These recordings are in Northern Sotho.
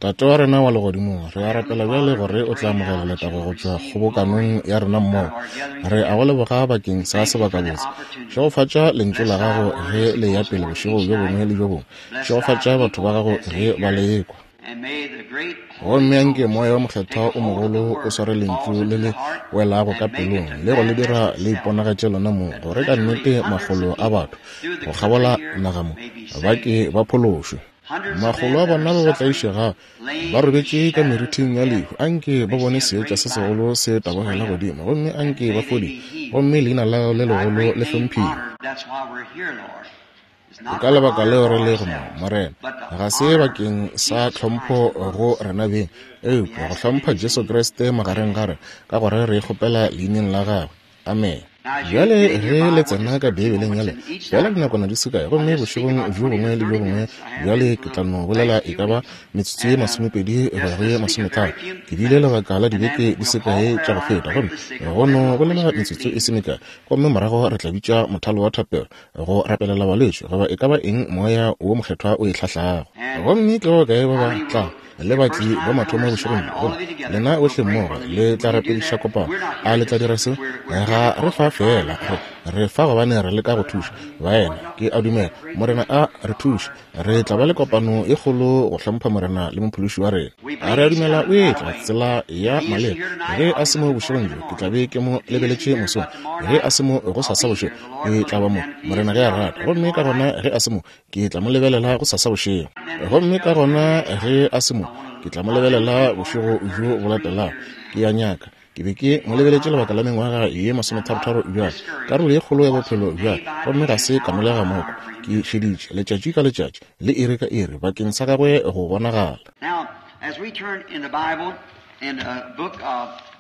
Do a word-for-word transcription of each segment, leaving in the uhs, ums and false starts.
Tate wa rena wa legodimong, re a rapela bjale gore o tla amogela letago go tšwa kgobokanong ya rena mmogo. Re a go leboga bakeng sa sebakabotse. Šegofatša lentšu la gago ge le ya pele bošego bjo bongwe le bjo bongwe. Šegofatša batho ba gago ge ba le ekwa. Gomme anke Moya wo Mokgethwa o mogolo o sware lentšu le le welago ka pelong le go le dira le iponagatše lona mong, gore ka nnete makgolo a batho go kgabola naga mo ba ke ba phološwe. Makgolo a bona ba ba tlaišegago ba robetše ka merithing ya lehu, anke ba bone seetša se segolo se tabogela godimo, gomme anke ba fodiwe, gomme leina la gago le legolo le hlomphiwe. Ke ka lebaka leo re lego mo, Morena, ga se bakeng sa tlhompho go rena beng, eupša go hlompha Jesu Kriste magareng ga rena, ka gore re kgopela leineng la gagwe. Amen. Bjale ge le tsena ka Beibeleng ya lena, feela dinakwana di se kae, gomme bošegong bjo bongwe le bjo bongwe bjale ke tla no bolela e ka ba metsotso ye masomepedi go ya go ye masometharo. Ke bile lebaka la dibeke di se kae tša go feta, gomme go no bolela metsotso e se mekae, gomme morago re tla bitša mothalo wa thapelo go rapelela balwetši goba e ka ba eng Moya wo Mokgethwa o e hlahlago. Gomme ke ba bakae ba ba tla le batli ba mathomo bošegong bjo, gomme lena bohle mmogo le tla rapediša kopano? A le tla dira seo? Ga re fa fela, re, re fa gobane re leka go thuša baena. Ke a dumela Morena a re thuše. Re tla ba le kopano e kgolo go hlompha Morena le Mophološi wa rena. A re a dumela o etla tsela ya maleba. Ge a se mo bošegong bjo, ke tla be ke mo lebeletše mosong. Ge a se mo gosasa bošego, ke tla ba mo, Morena ge a rata. Gomme ka gona ge a se mo, ke tla mo lebelela gosasa bošego. Gomme ka gona ge a se mo, ke tla mo lebelela bošego bjo bo latelago. Ke a nyaka. Ke be ke mo lebeletše lebaka la mengwaga ye masometharotharo bjale, karolo ye kgolo ya bophelo bjale, gomme ga se ka nolega moko. Ke šeditše letšatši ka letšatši le iri ka iri bakeng sa gagwe go bonagala.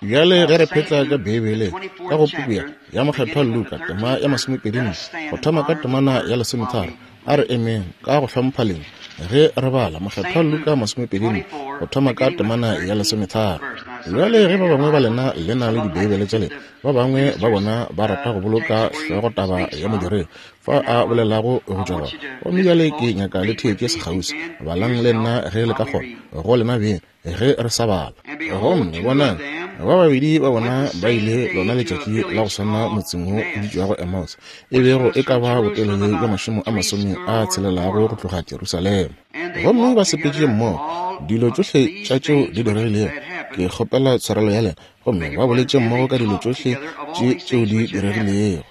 Bjale ge re phetla ka Beibeleng, ka go puku ya, ya Mokgethwa Luka, tema ya masomepedi nne, go thoma ka temana ya lesometharo, a re emeng ka go hlompha lentšu ge re bala Mokgethwa Luka masomepedi nne, go thoma ka temana ya lesometharo. Bjale ge ba bangwe ba lena le na le Dibeibele tša lena, ba bangwe ba bona ba rata go boloka hlogotaba ya modiredi fa a bolelago go tšwa gona. Gomme bjale ke nyaka le theetše sekgauswi, balang le nna ge le ka kgona, go lena beng ge re sa bala. Gomme bonang, ba babedi ba bona ba ile lona letšatši la go swana motseng wo o bitšwago Emmaus, e bego e ka ba botelele bja mašemo a masome a tshelelago go tloga Jerusalema. Gomme ba sepetše mmogo dilo tšohle tša tšeo di diregilego. Ke kgopela tshwarelo ya lena. Gomme ba boletše mmogo ka dilo tšohle tše tšeo di diregilego.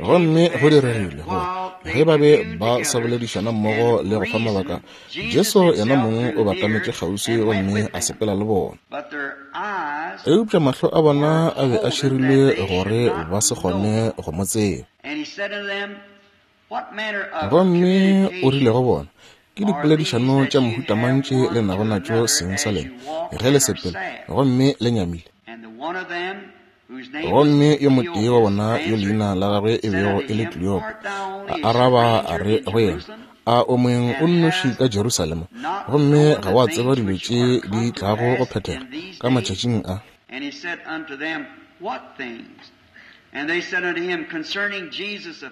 Gomme go diregile gore ge ba be ba sa boledišana mmogo le go fa mabaka, Jesu yena mong o batametše kgauswi gomme a sepela le bona. Eupša mahlo a bona a be a širilwe gore ba se kgone go mo tseba. Gomme o rile go bona, ke dipoledišano tša mohuta mang tše le nago natšo seng sa lena ge le sepela gomme le nyamile? Gomme yo motee wa bona yo leina la gagwe e bego e le Kleopa a araba a re go yena, a o moeng o nnoši ka Jerusalema, gomme ga wa tseba dilo tše di tlago go phethega ka matšatšing a?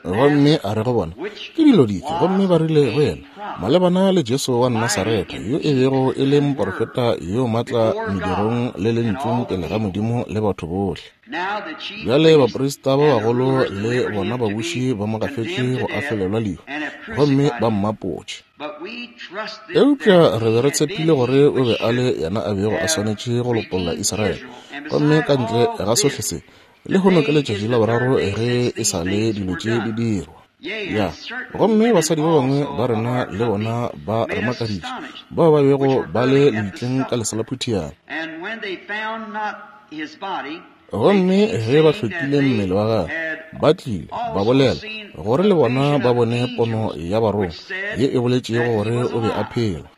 Gomme a re go bona, ke dilo dife? Gomme ba rile go yena, malebana le Jesu wa Nasaretha, yo e bego e le moporofeta yo matla medirong le lentšung pele ga Modimo le batho bohle. Bjale baprista ba bagolo le bona babuši ba mo gafetše go ahlolelwa lehu, gomme ba mmapotše. Eupša re be re tshepile gore o be a le yena a bego a swanetše go lopolla Israele. Gomme ka ntle ga sohle se, lehono ke letšatši la boraro ge e sa le dilo tše di dirwa. Ya, gomme basadi ba bangwe ba rena le bona ba re makaditše, bao ba bego ba le lebitleng ka leselaphutiana. Gomme ge ba hlokile mmele wa gagwe, ba tlile ba bolela gore le bona ba bone pono ya barongwa ye e boletšego gore o be a phela.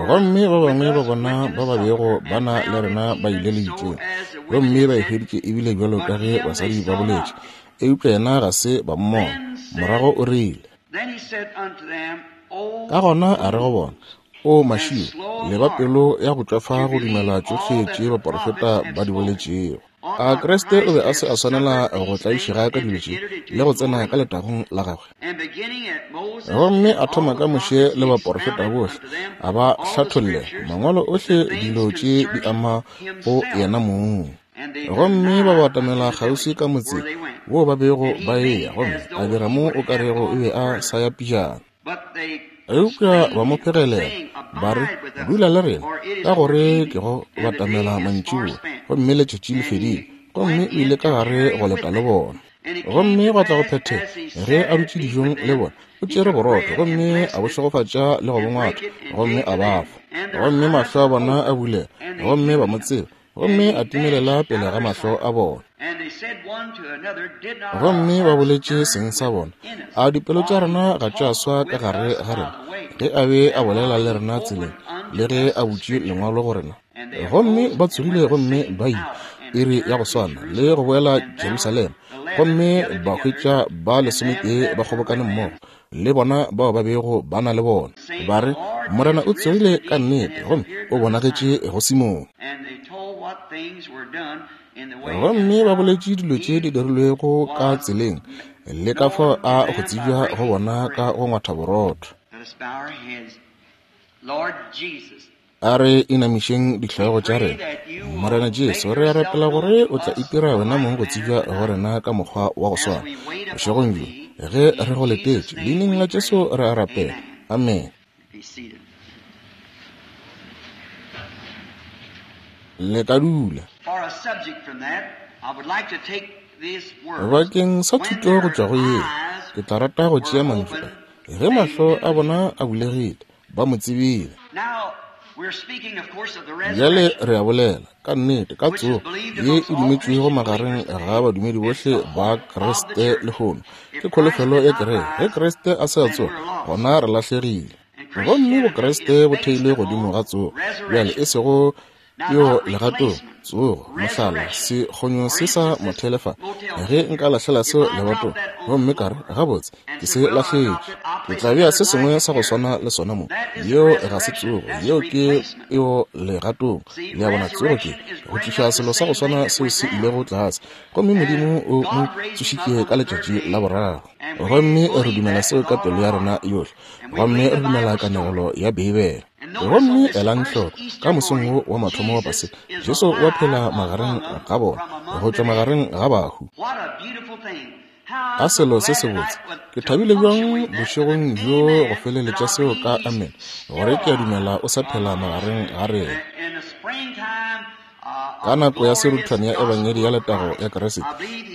Gomme ba bangwe ba bona ba ba bego ba na le rena ba ile lebitleng, gomme ba e hweditše ebile bjalo ka ge basadi ba boletše, eupša yena ga se ba mmona. Morago o rile. Ka gona a re go bona, O mašio, le ba pelo ya go tšwafa go dumela tšohle tše baporofeta ba di boletšego. A Kriste o be a se a swanela go tlaišega ka dilo tše le go tsena ka letagong la gagwe? Gomme a thoma ka Moshe le baporofeta bohle, a ba hlatholle mangwalo ohle dilo tše di ama go yena mong. Gomme ba batamela kgauswi ka motse wo ba bego ba eya, gomme a dira mo o ka rego o be a sa ya pejana. Eupša ba mo phegelela ba re, dula le rena, ka gore ke go batamela mantšiboa, gomme letšatši le fedile. Gomme o ile ka gare go leta le bona. Gomme gwa tla go phethega, ge a dutše dijong le bona, o tšere borotho, gomme a bo šegofatša le go bo ngwatha, gomme a ba fa. Gomme mahlo a bona a bulega, gomme ba mo tseba, gomme a timelela pele ga mahlo a bona. Gomme ba boletše seng sa bona, a dipelo tša rena ga tša swa ka gare ga rena, ge a be a bolela le rena tseleng, le ge a butše lengwalo go rena. Gomme ba tsogile gomme ba ile iri ya go swana le go boela Jerusalema, gomme ba hwetša ba lesometee ba kgobokane mmogo le bona bao ba bego ba na le bona, ba re, Morena o tsogile ka nnete, gomme o bonagetše go Simone. Gomme ba boletše dilo tše di dirilwego ka tseleng, le ka fao a go tsebja go bona ka go ngwatha borotho. A re inamišeng dihlogo tša rena. Morena Jesu, re a rapela gore o tla itira wena mong go tsebja go rena ka mokgwa wa go swana bošegong bjo, ge re go letetše. Leineng la Jesu re a rapela. Amen. Le ka dula. Bakeng sa thuto go tšwa go yeo, ke tla rata go tšea mantšu a, ge mahlo a bona a bulegile, ba mo tsebile. Bjale re a bolela ka nnete ka tsogo ye e dumetšwego magareng ga badumedi bohle ba Kriste lehono. Ke kholofelo ya kereke. Ge Kriste a se a tsoga, gona re lahlegile. Gomme bokriste bo theilwe godimo ga tsogo. Bjale e sego yo legatong, tsogo, mohlala, sekgonyo se sa mothele fa. Ge nka lahlela seo lebatong, gomme ka re, gabotse, ke se lahletše, ke tla bea se sengwe sa go swana le sona mo. Yeo ga se tsogo, yeo ke eo legatong. Le a bona, tsogo ke go tliša selo sa go swana seo se ilego tlase, gomme Modimo o mo tsošitše ka letšatši la boraro. Gomme re dumela seo ka pelo ya rena yohle, gomme re dumela kanegelo ya Beibele. Gomme elang hloko, ka mosong wo wa mathomo wa Paseka, Jesu wa phela magareng ga bona, go tšwa magareng ga bahu. A selo se sebotse. Ke thabile bjang bošegong bjo go feleletša seo ka amen, gore ke a dumela o sa phela magareng ga rena. Ka nako ya seruthwane ya Ebangedi ya letago ya Kriste,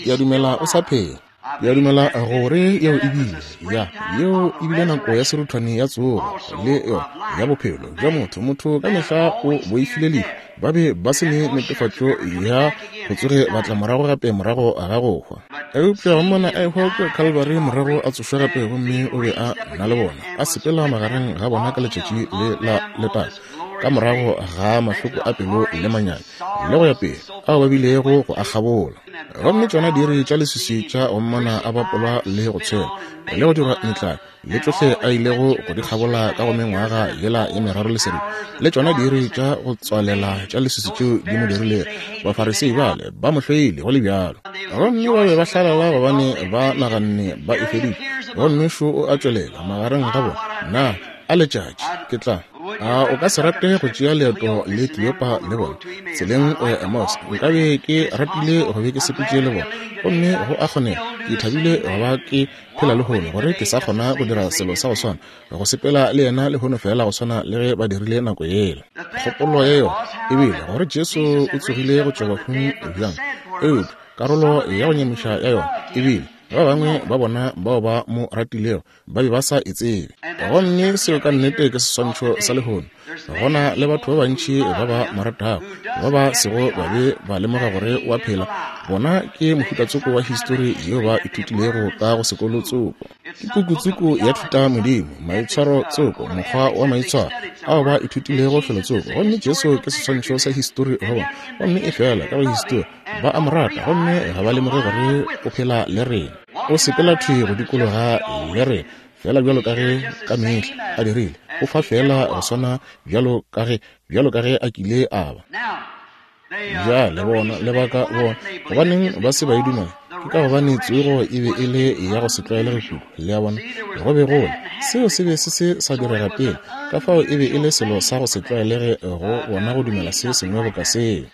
ke a dumela o sa phela. Ke a dumela gore yeo e bile ya yeo e bile nako ya seruthwane ya tsogo le yona ya bophelo bja motho. Motho ka mehla o boifile lehu, ba be ba se ne netefatšo ya go tsoge ba tla morago gape morago ga go hwa. Eupša go mmona a ehwa kua Calvary, morago a tsošwa gape, gomme o be a na le bona, a sepela magareng ga bona ka letšatši le la letago, ka morago ga mahloko a pelo le manyami le go ya pele ao ba bilego go a kgabola. Gomme tšona diiri tša leswiswi tša go mmona a bapolwa le go tshwela le go dirwa metlae le tšohle a ilego go di kgabola ka go mengwaga yela ya meraro le seripa, le tšona diiri tša go tswalela tša leswiswi tšeo di mo dirilego, Bafarisei bale ba mo hloile go le bjalo. Gomme ba be ba hlalala gobane ba naganne ba e feditše. Gomme šo o a tšwelela magareng ga bona. Na a letšatši ke tla a o ka se rate go tšea leeto le Kleopa le bona tseleng o ya Emmaus? Nkabe ke ratile go be ke sepetše le bona, gomme go a kgonega. Ke thabile go ba ke phela lehono gore ke sa kgona go dira selo sa go swana, go sepela le yena lehono fela go swana le ge ba dirile nako yela. Kgopolo ya yona e bile gore Jesu o tsogile go tšwa bahung bjang, eupša karolo ya go nyamiša ya yona e bile ba bangwe ba bona bao ba mo ratilego ba be ba sa e tsebe. Gomme seo ka nnete ke seswantšho sa lehono. Gona le batho ba bantši ba ba mo ratago, ba ba sego ba be ba lemoga gore o a phela. Bona ke mohutatsoko wa histori yeo ba ithutilego ka go sekolo tsoko. Ke pukutsoko ya thuta modimo, maitshwaro tsoko, mokgwa wa maitshwaro ao ba ithutilego felotsoko. Gomme Jesu ke seswantšho sa histori go bona, gomme e fela ka go histori ba a mo rata, gomme ga ba lemoge gore o phela le rena, o sepela thwi go dikologa le rena. Feela bjalo ka ge ka mehla a dirile, o fa feela go swana bjalo ka ge, bjalo ka ge a kile a ba. Bjale bona lebaka bona gobaneng ba se ba e dumela, ke ka gobane tsogo e be e le ya go se tlwaelege kudu. Le a bona, go be go le seo se be se se sa direga pele, ka fao e be e le selo sa go se tlwaelege go bona go dumela se sengwe boka seo.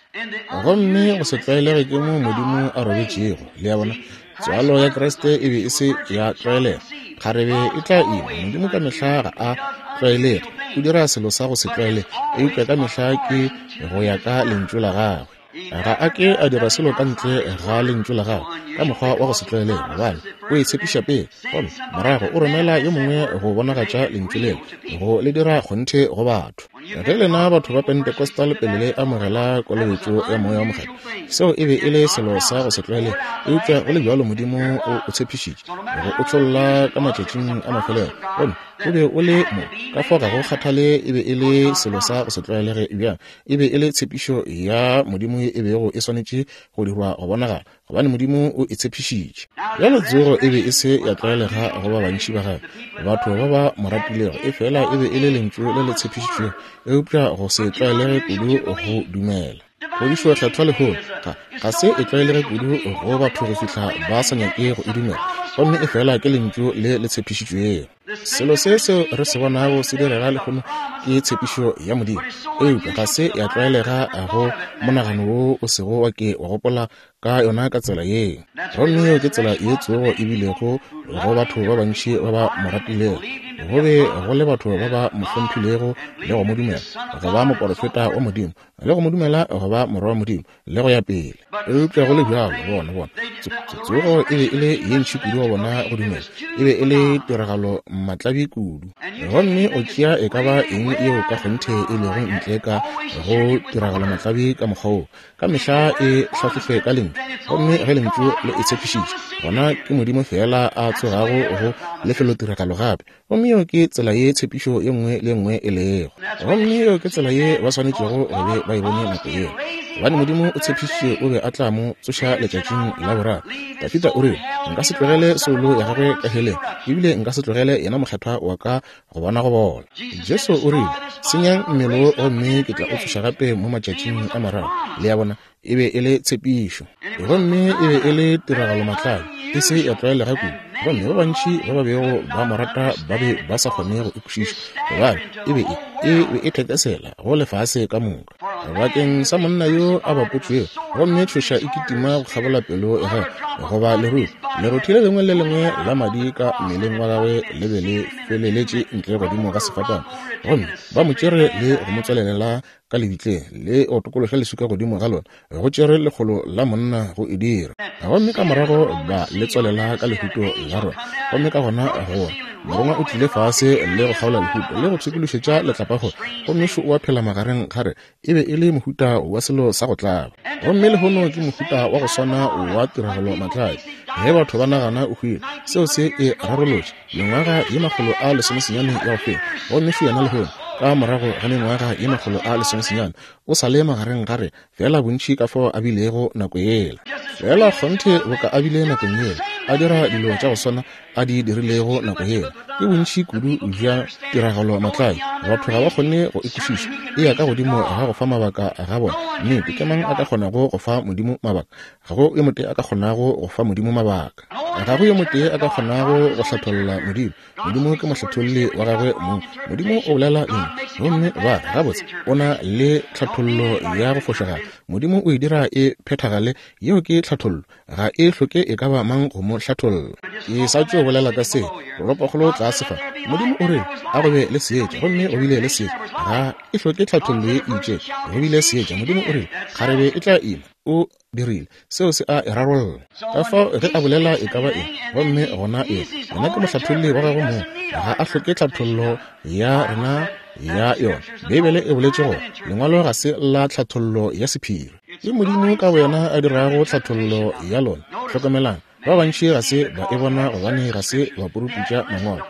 Gomme go se tlwaelege ke mo Modimo a robetšego. Le a bona, tswalo ya Kriste e be e se ya tlwaelega. Kgarebe e tla ima. Modimo ka mehla ga a tlwaelege, o dira selo sa go se tlwaelege, eupša ka mehla ke go ya ka lentšu la gagwe. Ga a ke a dira selo ka ntle ga lentšu la gagwe ka mokgwa wa go se tlwaelege, gobane o e tshepiša pele, gomme morago o romela yo mongwe go bonagatša lentšu lela, go le dira kgonthe go batho. Ge lena batho ba Pentecostal pele le amogela kolobetšo ya Moya wo Mokgethwa, seo e be e le selo sa go se tlwaelege, eupša go le bjalo Modimo o o tshepišitše go o tšholla ka matšatšing a mafelelo, gomme o be o le mo. Ka fao ga go kgathale e be e le selo sa go se tlwaelege bjang, e be e le tshepišo ya Modimo e bego e swanetše go dirwa go bonagala, gobane Modimo o e tshepišitše. Bjale tsogo e be e se ya tlwaelega go ba bantši ba gagwe, batho ba ba mo ratilego, efela e be e le lentšu le le tshepišitšwego, eupša go se tlwaelege kudu go dumela. Phodišo kgethwa lehono ga ga se e tlwaelege kudu go batho go fihla ba sa nyake go e dumela, gomme efela ke lentšu le le tshepišitšwego. Selo se seo re se bonago se direga lehono ke tshepišo ya Modimo, eupša ga se ya tlwaelega go monagano wo o sego wa ke wa gopola ka yona ka tsela yeo. Gomme yeo ke tsela ye tsogo e bilego go batho ba bantši ba ba mo ratilego. Go be go le batho ba ba mo hlomphilego le go mo dumela go ba moporofeta wa Modimo, le go mo dumela go ba morwa wa Modimo, le go ya pele. Eupša go le bjalo, bona bona tsogo e be e le ye ntši kudu go bona go dumela, e be e le tiragalo matlabi kudu. Gomme o tšea e ka ba eng yeo ka kgonthe e lego ntle ka go tiragalo matlabi ka mokgwa wo, ka mehla e hlahlofe ka lentšu, gomme ge lentšu le e tshepišitše, gona ke Modimo fela a tsogago go lefelotiragalo gape. Gomme yeo ke tsela ye tshepišo ye nngwe le nngwe e lego. Gomme yeo ke tsela ye ba swanetšego go be ba e bone nako yeo, gobane Modimo o tshepišitše o be a tla mo tsoša letšatšing la boraro. Dafida o rile, nka se tlogele soulo ya gagwe ka heleng, ebile nka se tlogele yena mokgethwa wa ka go bona go bola. Jesu o rile, senyang mmele wo gomme ke tla o tsoša gape mo matšatšing a mararo. Le a bona, e be e le tshepišo, gomme e be e le tiragalo matlabi, e se ya tlwaelega kudu. Gomme ba bantši ba ba bego ba mo rata ba be ba sa kgone go e kwešiša, gobane e be e e be e thekesela go lefase ka moka bakeng sa monna yo a bapotšwego, gomme tšhoša e kitima go kgabola pelo ya gagwe, goba leruo lerothi le lengwe le lengwe la madi ka mmeleng wa gagwe le be le feleletše ntle godimo ga sefapano. Gomme ba mo tšere le go mo tswalelela ka lebitleng, le go tokološa leswika godimo ga lona, go tšere lekgolo la monna go e dira. Gomme ka morago ba le tswalela ka lehuto la rona. Gomme ka gona go morongwa o tlile fase le go kgaola lehuto le go pshikološetša letlapakgolo, gomme šo o a phela magareng ga re. E be e le mohuta wa selo sa go tlaba. Gomme lehono ke mohuta wa go swana wa tiragalo matlabi. Ge batho ba nagana o hwile, seo se e rarolotše mengwaga ye makgolo a lesomesenyane ya go feta. Gomme šo yena lehono ka morago ga mengwaga ye makgolo a lesomesenyane o sa le magareng ga re, fela bontši ka fao a bilego nako yela. Fela kgonthe boka a bile nakong yela, a dira dilo tša go swana a di dirilego nako yela. Ke bontši kudu bja tiragalo matlabi, batho ga ba kgone go e kwešiša. E ya ka godimo ga go fa mabaka ga bona. Nnete, ke mang a ka kgonago go fa Modimo mabaka? Ga go yo motee a ka kgonago go fa Modimo mabaka. Ga go yo motee a ka kgonago go hlatholla Modimo. Modimo ke mohlatholli wa gagwe mong. Modimo o bolela lentšu, gomme ba re gabotse o na le tlhathollo ya go fošagala. Modimo o e dira e phethagale, yeo ke tlhathollo, ga e hloke e ka ba mang go mo hlatholla. Ke sa tšo bolela ka se toropokgolo tlase fa. Modimo o rile a go be le seetša, gomme go bile le seetša. Ga e hloke tlhathollo ye e itšego, go bile seetša. Modimo o rile kgarebe e tla ima, o dirile seo se a e rarolla. Ka fao ge a bolela e ka ba eng, gomme gona e yena ke mohlatholli wa gagwe mong, ga a hloke tlhathollo ya rena ya yona. Beibele e boletše gore lengwalo ga se la tlhathollo ya sephiri, ke Modimo ka boyena a dirago tlhathollo ya lona. Hlokomelang, ba bantši ga se ba e bona gobane ga se ba puruputša mangwalo,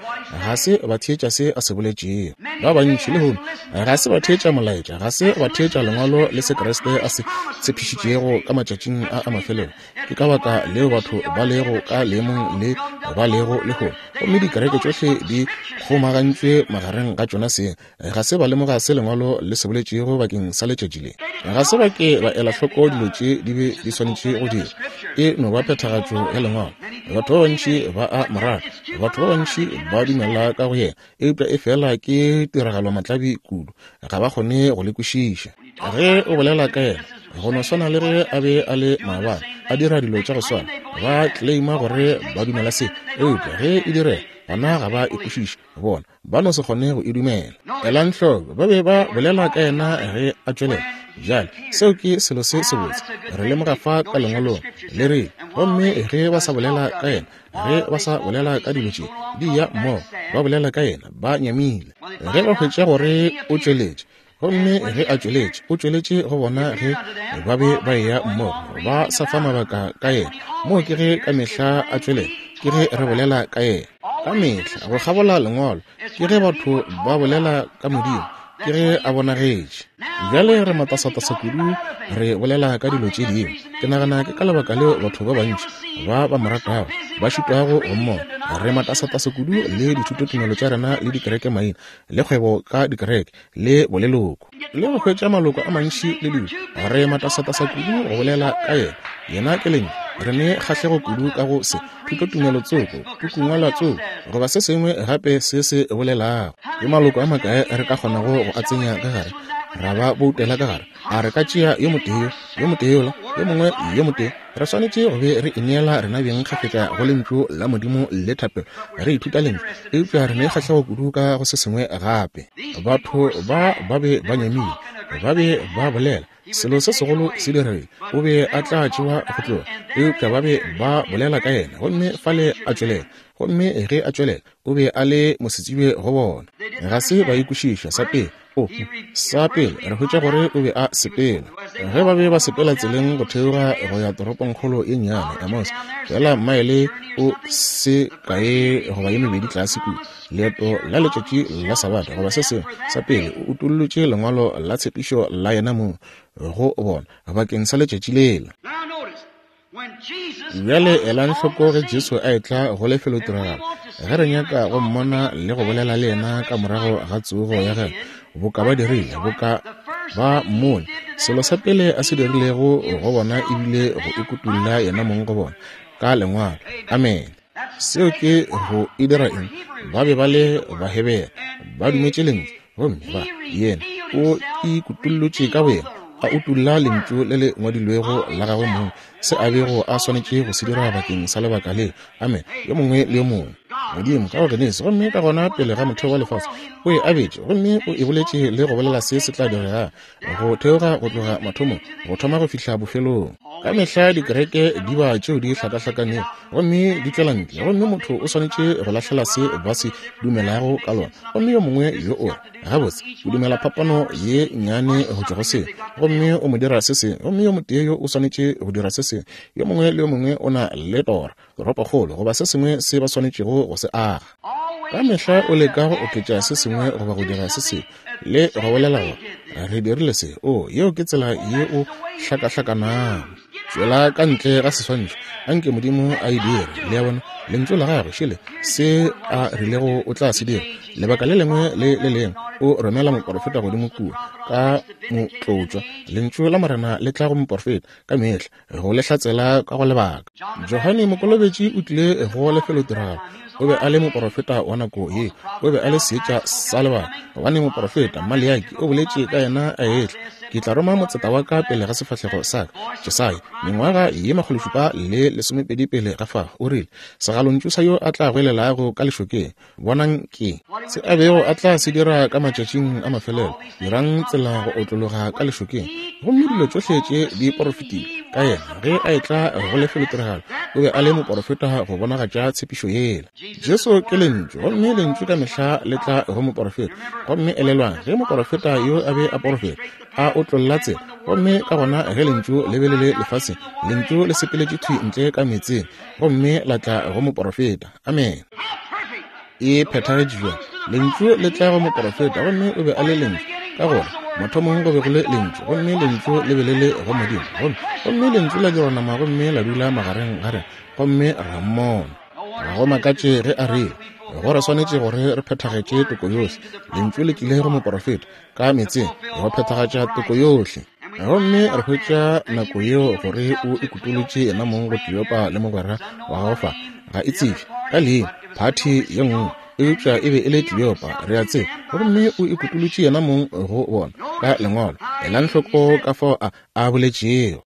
ga se ba theetša se a se boletšego. Ba bantši lehono ga se ba theetša molaetša, ga se ba theetša lengwalo le se Kriste a se tshepišitšego ka matšatšing a a mafelelo. Ke ka baka leo batho ba lego ka leemong le ba lego lehono. Gomme dikereke tšohle di kgomagantšwe magareng ga tšona seng. Ga se ba lemoga se Lengwalo le se boletšego bakeng sa letšatši le. Ga se ba ke ba ela hloko dilo tše di be di swanetše go dira. E no ba phethagatšo ya Lengwalo. Batho ba bantši ba a mo rata, batho ba bantši ba dumela ka go yena, eupša e fela ke tiragalo matlabi kudu, ga ba kgone go le kwešiša. Ge o bolela ka yena, go no swana le ge a be a le maabane, a dira dilo tša go swana, ba claima gore ba dumela se, eupša ge e direga, gona ga ba e kwešiše, bona ba no se kgone go e dumela. Elang hloko, ba be ba bolela ka yena ge a tšwelela. Bjale, seo ke selo se sebotse. Re lemoga fa ka Lengwalong le re, gomme ge ba sa bolela ka yena, ge ba sa bolela ka dilo tše di ya mmogo, ba bolela ka yena ba nyamile. Ge ba hwetša gore o tšweletše, gomme ge a tšweletše, o tšweletše go bona ge ba be ba eya mmogo, ba sa fa mabaka ka yena. Moo ke ge ka mehla a tšwelela, ke ge re bolela ka yena ka mehla. Go kgabola Lengwalo ke ge batho ba bolela ka Modimo, ke ge a bonagetše. Bjale re matasatasa kudu, re bolela ka dilo tše dingwe. Ke nagana ke ka lebaka leo batho ba bantši ba ba mo ratago ba šitwago go mmona. Re matasatasa kudu le dithutotumelo tša rena le dikereke maina le kgwebo ka dikereke le boleloko le go hwetša maloko a mantši le dilo. Re matasatasa kudu go bolela ka yena. Yena ke Lentšu. Re ne kgahlego kudu ka go se thutotumelo tsoko, pukungwalwa tsoko, goba se sengwe gape se se bolelago. Ke maloko a makae re ka kgonago go a tsenya ka gare, ra ba boutela ka gare? A re ka tšea yo motee, yo motee yola, yo mongwe yo motee? Re swanetše go be re ineela rena beng kgafetša go Lentšu la Modimo le thapelo, re ithuta Lentšu, eupša re ne kgahlego kudu ka go se sengwe gape. Batho ba ba be ba nyamile, ba be ba bolela selo se segolo se diregile, o be a tla tšewa go tloga, eupša ba be ba bolela ka yena, gomme fale a tšwelela. Gomme ge a tšwelela, o be a le mosetsebje go bona. Ga se ba ikwešiša sa pele. O, sa pele re hwetša gore o be a sepela. Ge ba be ba sepela tseleng go theoga go ya toropongkgolo ye nnyane Amos, fela maele o se kae goba ye mebedi tlase kua, leeto la letšatši la Sabata goba se sengwe, sa pele o utollotše lengwalo la tshepišo la yena mong go bona bakeng sa letšatši lela. Bjale elang hloko ge Jesu a etla go lefelotiragalo, ge re nyaka go mmona le go bolela le yena ka morago ga tsogo ya gagwe, boka ba dirile, boka ba mmone, selo sa pele a se dirilego go bona ebile go ikutulla yena mong go bona ka Lengwalo. Amen. Seo ke go e dira eng? Ba be ba le Bahebere, ba dumetše Lentšu, gomme ba yena o ikutullotše ka boyena, a utulla Lentšu le le ngwadilwego la gagwe mong, se a bego a swanetše go se dira bakeng sa lebaka le. Amen. Yo mongwe le yo mongwe. Modimo ka go Genesi, gomme ka gona pele ga motheo wa lefase, o e abetše, gomme o e boletše le go bolela se se tla diregang, go theoga go tloga mathomong go thoma go fihla bofelong. Ka mehla dikereke di ba tšeo di hlakahlakanego gomme di tšwela ntle, gomme motho o swanetše go lahlela se ba se dumelago ka lona. Gomme yo mongwe yo o re, gabotse, o dumela phapano ye nnyane go tšwa go se, gomme o mo dira se sengwe, gomme yo motee yo o swanetše go dira se sengwe. Yo mongwe le yo mongwe o na le tora, toropokgolo goba se sengwe se ba swanetšego go se aga. Ka mehla o leka go oketša se sengwe goba go dira se sengwe le go bolela gore re dirile se. O, yeo ke tsela ye o hlakahlakanago. Tšwela ka ntle ga seswantšho, anke Modimo a e dire. Le a bona, Lentšu la gagwe šele se a rilego o tla se dira. Lebaka le lengwe le le lengwe o romela moporofeta godimo kua ka motlotšwa. Lentšu la Morena le tla go moporofeta ka mehla go le hlatsela ka go lebaka. Johane Mokolobetši o tlile go lefelotiragalo. O be a le moporofeta wa nako ye, o be a le seetša sa lebaka, gobane moporofeta Maleaki o boletše ka yena a etla, ke tla roma motseta wa ka pele ga sefahlego sa ka. Jesaya mengwaga ye makgološupa le lesomepedi pele ga fao o rile, segalontšu sa yo a tla goelelago ka lešokeng, bonang ke se a bego a tla se dira ka matšatšing a mafelelo, dirang tsela go otlologa ka lešokeng. Gomme dilo tšohle tše di porofetile ka yena ge a etla go lefelotiragalo. O be a le moporofeta go bonagatša tshepišo yela. Jesu ke Lentšu, gomme Lentšu ka mehla le tla go moporofeta. Gomme elelwang, ge moporofeta yo a be a porofeta, a otlolla tsela, gomme ka gona ge Lentšu le be le le lefaseng, Lentšu le sepeletše thwi ntle ka meetseng gomme la tla go moporofeta. Amen. E phethagetše bjang? Lentšu le tla go moporofeta, gomme o be a le Lentšu, ka gore mathomong go be go le Lentšu, gomme Lentšu le be le le go Modimo, gomme gomme Lentšu la dirwa nama gomme la dula magareng ga rena, gomme ra mmona. Ga go makatše ge a rile, Go re swanetše gore re phethagetše toko yohle. Lentšu le tlile go moporofeta ka meetseng go phethagatša toko yohle. Gomme re hwetša nako yeo gore o ikutolotše yena mong go Kleopa le mogwera wa gagwe fa, ga e tsebe ka leina, phathi ye nngwe, eupša e be e le Kleopa, re a tseba. Gomme o ikutolotše yena mong go bona ka lengwalo. Elang hloko ka fao a a boletšego.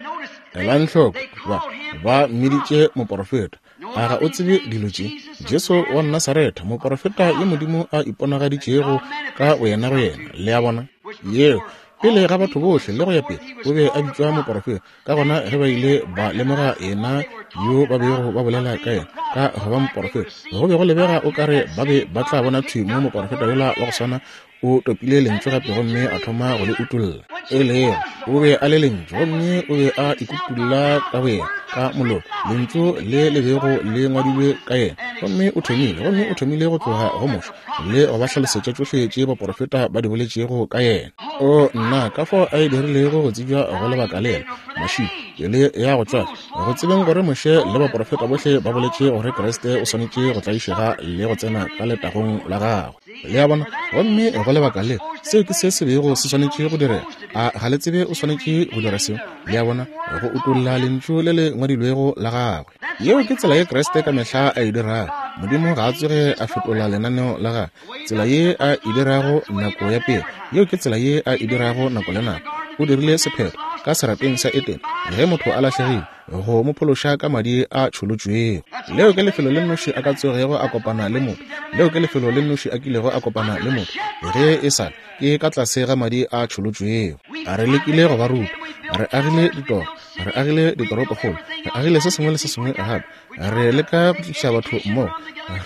Elang hloko, ba ba mmiditše moporofeta. A ga o tsebe dilo tše? Jesu wa Nasaretha, moporofeta yo Modimo a iponagaditšego ka boyena go yena. Le a bona? Yeo pele ga batho bohle le go ya pele o be a bitšwa moporofeta. Ka gona ge ba ile ba lemoga yena yo ba bego ba bolela ka yena ka go ba moporofeta, go be go lebega o kare ba be ba tla bona thwi mo moporofeta yola wa go swana o topile lentšu gape gomme a thoma go le utolla. E lego o be a le lentšu, gomme o be a ikutulla ka boyena ka molomo, lentšu le le bego le ngwadilwe ka yena. Gomme o thomile, gomme o thomile go tloga go Moshe le go ba hlalosetša tšohle tše baporofeta ba di boletšego ka yena. O nna, ka fao a e dirilego go tsebja go lebaka lela mašilo pele ya go tšwafa, go tsebeng gore Moshe le baporofeta bohle ba boletše gore Kriste o swanetše go tlaišega le go tsena ka letagong la gagwe. Le a bona? Gomme go lebaka le, seo ke se se bego se swanetše go direga. A ga le tsebe o swanetše go dira seo? Le a bona? Go utolla lentšu le le ngwadilwego la gagwe. Yeo ke tsela ye Kriste ka mehla a e dirago. Modimo ga a tsoge a fetola lenaneo la gagwe. Tsela ye a e dirago nako ya pele, yeo ke tsela ye a e dirago nako le nako. O dirile sephetho ka serapeng sa Edene ge motho a lahlegile, go mo phološa ka madi a tšholotšwego. Leo ke lefelo le nnoši a ka tsogego a kopana le motho. Leo ke lefelo le nnoši a kilego a kopana le motho, ge e sa ke ka tlase ga madi a tšholotšwego. A re lekile go ba ruta, re agile ditoro, re agile ditoropokgolo, re agile se sengwe le se sengwe gape. Re leka go tliša batho mmogo,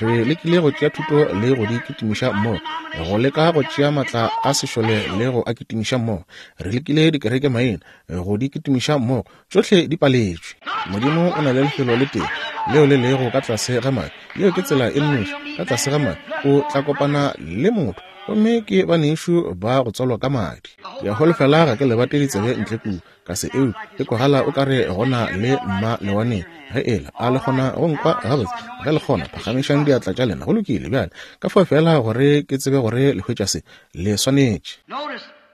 re lekile go tšea thuto le go di kitimiša mmogo, go leka go tšea maatla a sešole le go a kitimiša mmogo. Re lekile dikereke maina go di kitimiša mmogo, tšohle di paletšwe. Modimo o na le lefelo le tee leo le lego ka tlase ga madi. Yeo ke tsela e nnoši. Ka tlase ga madi o tla kopana le motho, gomme ke banešu ba go tswalwa ka madi. Ke a holofela ga ke lebate ditsebe ntle kua ka se eo e kwagala o kare gona le mma lewaneng. Ge ela a le kgona go nkwa gabotse, ge le kgona phagamišang diatla tša lena. Go lokile bjale, ka fao fela gore ke tsebe gore le hwetša se le swanetše.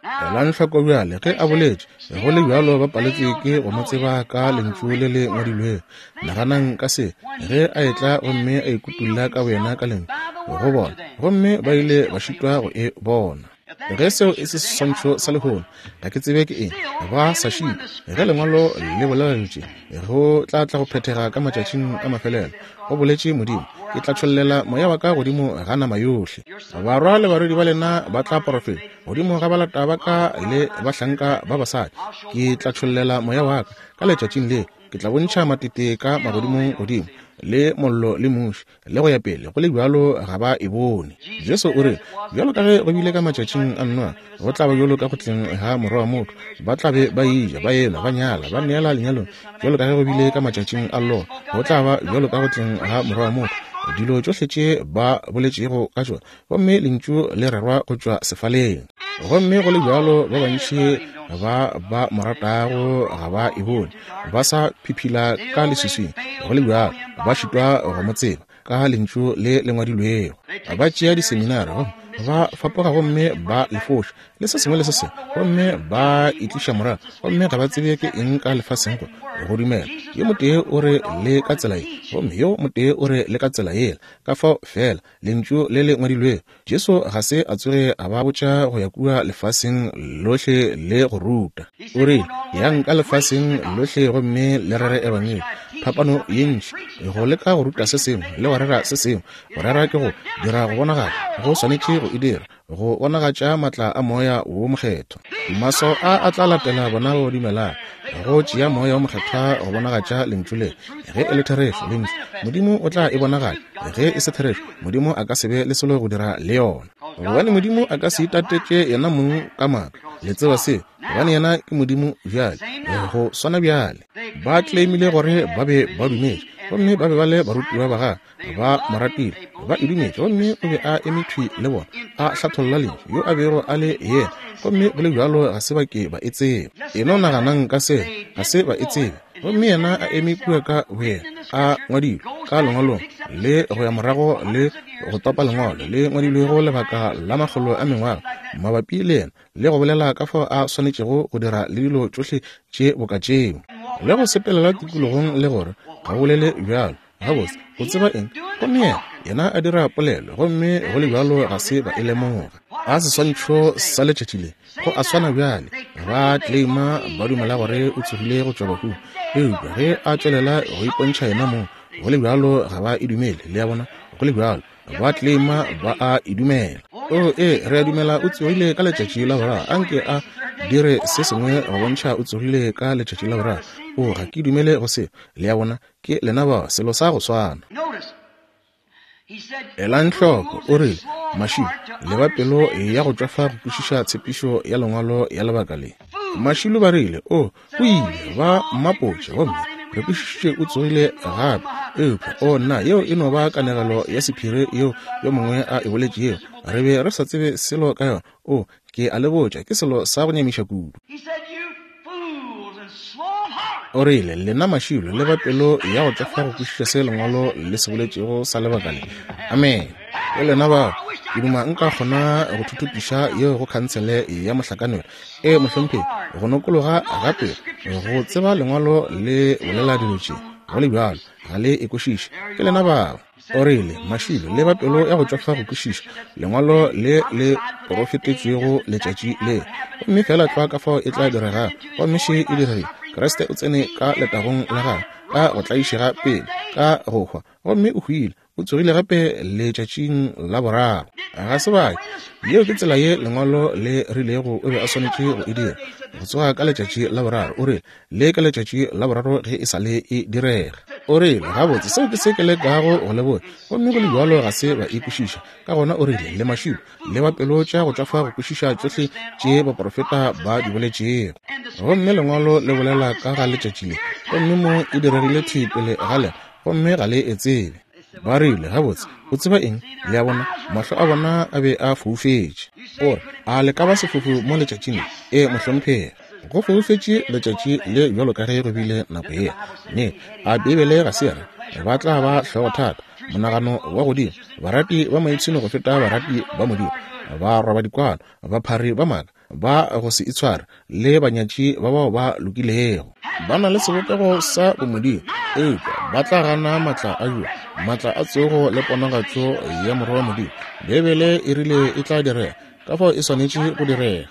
Elang hloko bjale ge a boletše, go le bjalo ba paletšwe ke go mo tseba ka lentšu le le ngwadilwego. Naganang ka se ge a etla gomme a ikutulla ka boyena ka lentšu go bona, gomme ba ile ba šitwa go e bona. Ge seo e se seswantšho sa lehono, ga ke tsebe ke eng. Ba sa šitwa ge lengwalo le bolela lentšu, go tla tla go phethega ka matšatšing a mafelelo. Go boletše Modimo, ke tla tšhollela moya wa ka godimo ga nama yohle. Barwa le barwedi ba lena ba tla porofeta, godimo ga balata ba ka le bahlanka ba basadi ke tla tšhollela moya wa ka. Ka letšatšing le ke tla bontšha matete ka magodimong godimo, le mollo le muši le go ya pele. Go le bjalo ga ba e bone. Jesu o re, bjalo ka ge go bile ka matšatšing a Noa, go tla ba bjalo ka go tleng ga morwa wa motho. Ba tla be ba eja, ba enwa, ba nyala, ba neela lenyalong, bjalo ka ge go bile ka matšatšing a Loa, go tla ba bjalo ka go tleng ga morwa wa motho. Dilo tšohle tše ba boletšego ka tšona, gomme lentšu le rerwa go tšwa sefaleng. Gomme go le bjalo ba bantši ba ba mo ratago ga ba e bone, ba sa phiphila ka leswiswing. Go le bjalo ba šitwa go mo tseba ka lentšu le le ngwadilwego. Ba tšea diseminari gomme ba fapoga gomme ba lefoša le se sengwe le se sengwe, gomme ba itliša morago, gomme ga ba tsebe ke eng ka lefaseng go go dumela. Yo motee o re le ka tsela ye, gomme yo motee o re le ka tsela yela. Ka fao fela lentšu le le ngwadilwego. Jesu ga se a tsoge a ba botša go ya kua lefaseng lohle le go ruta. O rile, yang ka lefaseng lohle gomme le rere ebangedi. Phapano ye ntši go leka go ruta se sengwe le go rera se sengwe. Go rera ke go dira go bonagala, go swanetše go e dira go bonagatša maatla a moya wo mokgethwa. Maswao a a tla latela bona go dumelang, go tšea moya wo mokgethwa go bonagatša lentšu le. Ge e le therešo lentšu, Modimo o tla e bonagatša. Ge e se therešo, Modimo a ka se be le selo go dira le yona. Gobane Modimo a ka se itatetše yena mong ka maaka. Le tseba se, gobane yena ke Modimo bjale, go swana bjale. Ba claimile gore ba be ba dumetše, gomme ba be ba le barutiwa ba gagwe, ba mo ratile, ba e dumetše, gomme o be a eme thwi le bona, a hlatholla lentšu yo a bego a le yena, gomme go le bjalo ga se ba ke ba e tseba. E no naganang ka se, ga se ba e tsebe. Gomme yena a eme kua ka boyena, a ngwadilwe ka lengwalong le go ya morago le go topa lengwalo le ngwadilwego lebaka la makgolo a mengwaga mabapi le yena, le go bolela ka fao a swanetšego go dira le dilo tšohle tše boka tšeo, le go sepelela tikologong le gore ga bolele bjalo. Gabotse, o tseba eng? Gomme yena, yena a dira polelo, gomme go le bjalo ga se ba e lemoga. A seswantšho sa letšatši le, go a swana bjale. Ba claima ba dumela gore o tsogile go tšwa bahung, eupša ge a tšwelela go ipontšha yena mong, go le bjalo ga ba e dumele. Le a bona? Go le bjalo ba claima ba a e dumela. O e, re a dumela o tsogile ka letšatši la boraro. Anke a dire se sengwe go bontšha o tsogile ka letšatši la boraro. O, ga ke dumele go se. Le a bona? Ke lena ba, selo sa go swana. Elang hloko, o rile, mašilo, le ba pelo ya go tšwafa go kwešiša tshepišo ya lengwalo ya lebaka le. Mašilo ba rile, o, o ile, ba mmapotše, gomme re kwešišitše o tsogile gape. Eupša, o nna, yeo e no ba kanegelo ya sephiri yeo yo mongwe a e boletšego. Re be re sa tsebe selo ka yona. O, ke a le botša, ke selo sa go nyamiša kudu. O rile, lena mašilo, le ba pelo ya go tšwafa go kwešiša se lengwalo le se boletšego sa lebaka le. Amen. Ke lena bao. Ke duma nka kgona go thuthupiša yeo go khansele ya mohlakanelo. E, mohlomphegi, go nokologa gape go tseba lengwalo le bolela dilo tše, go le bjalo ga le e kwešiše. Ke lena bao. O rile, mašilo, le ba pelo ya go tšwafa go kwešiša lengwalo le le porofetetšwego letšatši le, gomme fela tlwa ka fao e tla direga. Gomme še e diregile. Kriste o tsene ka letagong la gagwe, ka go tlaišega pele, ka go hwa, gomme o hwile, o tsogile gape letšatšing la boraro. Ga se bake. Yeo ke tsela ye lengwalo le rilego o be a swanetše go e dira, go tsoga ka letšatši la boraro. O rile, le ka letšatši la boraro ge e sa le e direga. O rile, gabotse, seo ke se ke lekago go le botša. Gomme go le bjalo ga se ba e kwešiša. Ka gona o rile, le mašilo, le ba pelo tša go tšwafa go kwešiša tšohle tše baprofeta ba di boletšego. Gomme lengwalo le bolela ka ga letšatši le, gomme mo e diregile thwi pele ga lena, gomme ga le e tsebe. Ba rile, gabotse, o tseba eng? Le a bona, mahlo a bona a be a foufetše. O re, a le ka ba sefofu mo letšatšing le? E, mohlomphegi. Go foufetše letšatši le bjalo ka ge go bile nako yela. Ne, a Beibele ga se ya re ba tla ba hlogothata, monagano wa godimo, barati ba maipshino go feta barati ba Modimo, ba roba dikwano, baphari ba maaka, ba go se itshware, le banyatši ba bao ba lokilego. Ba na le sebopego sa bomodimo, eupša ba tla gana matla a yo, matla a tsogo le ponagatšo ya morwa wa Modimo. Beibele e rile e tla direga, ka fao e swanetše go direga.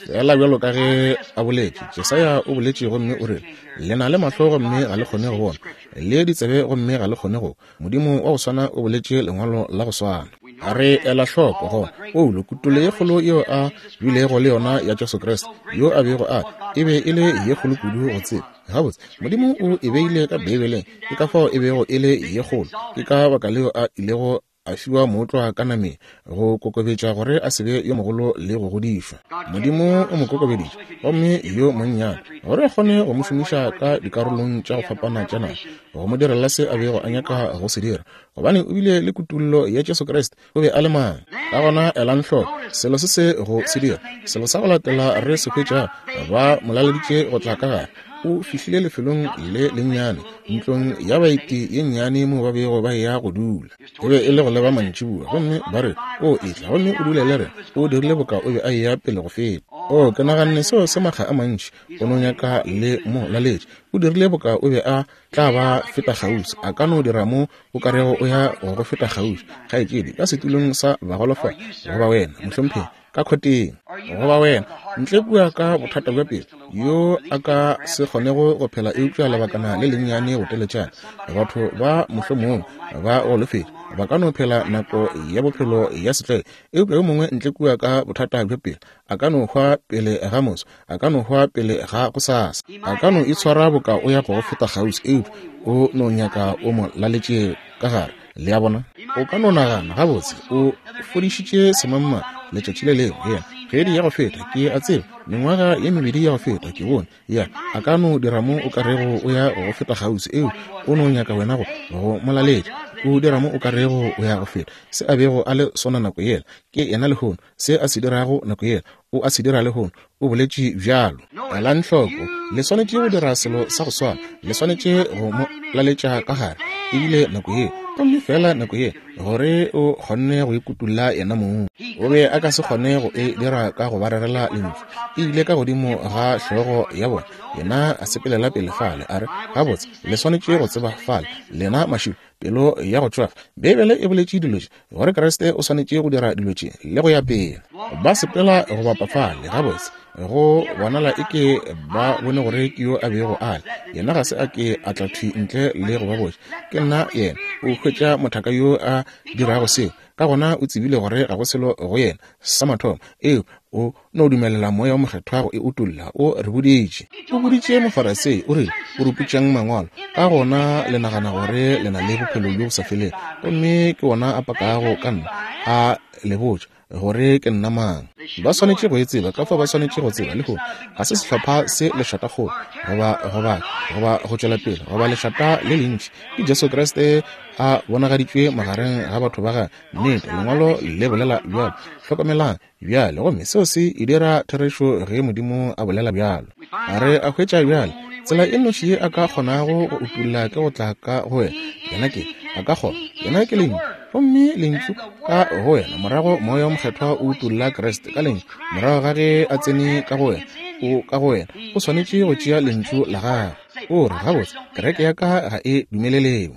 Fela bjalo ka ge a boletše, Jesaya o boletše gomme o rile, le na le mahlo gomme ga le kgone go bona, le ditsebe gomme ga le kgone go. Modimo wa go swana o boletše lengwalo la go swana. Re ela hloko gona Paulo kutollo ye kgolo yeo a bilego le yona ya Jesu Kriste, yo a bego a e be e le ye kgolo kudu go tseba. Gabotse, Modimo o e beile ka Beibeleng, ke ka fao e bego e le ye kgolo. Ke ka baka leo a ilego a fiwa mootlwa ka nameng, go kokobetša gore a se be yo mogolo le go godišwa. Modimo o mo kokobeditše, gomme yo monnyane, gore a kgone go mo šomiša ka dikarolong tša go fapana tša naga, go mo direla se a bego a nyaka go se dira, gobane o bile le kutollo ya Jesu Kriste. O be a le mang? Ka gona elang hloko selo se se go se dira. Selo sa go latela re se hwetšago, ba mo laleditše go tla ka gare. O fihlile lefelong le lennyane, ntlong ya baeti ye nnyane mo ba bego ba eya go dula. E be e le go leba mantšiboa, gomme ba re, o etla gomme o dule le rena. O dirile boka o be a eya pele go feta. O, ke naganne seo se makga a mantši, o no nyaka le mo laletše. O dirile boka o be a tla ba feta kgauswi. A ka no dira mo o ka rego o ya go go feta kgauswi, kgaetšedi, ka setulong sa bagolofadi, goba wena, mohlomphegi, ka khoteng, goba wena ntle kua ka bothata bja pelo, yo a ka se kgonego go phela eupša lebakana le lennyane go teletšana. Batho ba mohlomong ba golofetše, ba ka no phela nako ya bophelo ya setlwaedi, eupša yo mongwe ntle kua ka bothata bja pelo a ka no hwa pele ga moso, a ka no hwa pele ga gosasa, a ka no itshwara boka o ya go go feta kgauswi, eupša o no nyaka o mo laletše ka gare. Le a bona? O ka no nagana, gabotse, o fodišitše semangmang letšatši le lengwe, yena kgwedi ya go feta, ke a tseba, mengwaga ye mebedi ya go feta, ke bone ya a ka no dira mo o ka rego o ya go feta kgauswi, eupša o no nyaka wena go go mo laletša. O dira mo o ka rego o ya go feta. Se a bego a le sona nako yela, ke yena lehono. Se a se dirago nako yela, o a se dira lehono. O boletše bjalo. Elang hloko, le swanetše go dira selo sa go swana. Le swanetše go mo laletša ka gare. Ebile nako ye, gomme fela nako ye, gore o kgonne go ikutulla yena mong. O be a ka se kgone go e dira ka go ba rerela lentšu. E ile ka godimo ga hlogo ya bona. Yena a sepelela pele fale, a re, gabotse, le swanetše go tseba fale, lena mašilo, pelo ya go tšwafa. Beibele e boletše dilo tše, gore Kriste o swanetše go dira dilo tše le go ya pele. Ba sepela go bapa fale, gabotse, go bonala eke ba bone gore ke yo a bego a le. Yena ga se a ke a tla thwi ntle le go ba botša, ke nna yena. O hwetša mothaka yo a dirago seo, ka gona o tsebile gore ga go selo go yena sa mathomo. Eo o no dumelela moya o mokgethwa go e utolla. O re boditše, o boditše Mofarisei, o rile, o ruputšang mangwalo, ka gona le nagana gore le na le bophelo bjo bo sa felego, gomme ke wona a pakago ka nna, a le botša gore ke nna mang. Ba swanetše go e tseba, ka fao ba swanetše go tseba lehono. Ga se sehlopha se lešatakgolo goba goba goba go tšwela pele goba lešata le lentši. Ke Jesu Kriste a bonagaditšwe magareng ga batho ba gagwe. Nnete, lengwalo le bolela bjalo. Hlokomelang bjale, gomme seo se e dira therešo ge Modimo a bolela bjalo. A re a hwetša bjale tsela e nnoši ye a ka kgonago go utulla ke go tla ka go wena. Yena ke a ka kgona, yena ke lentšu, gomme lentšu ka go wena. Morago moya o mokgethwa o utulla Kriste ka lentšu. Morago ga ge a tsene ka go wena, o ka go wena, o swanetše go tšea lentšu la gagwe. O re, gabotse, kereke ya ka ga e dumeleleo.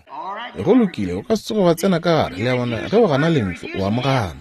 Go lokile, o ka se tsoge wa tsena ka gare. Le a bona, ge o gana lentšu, o amogana.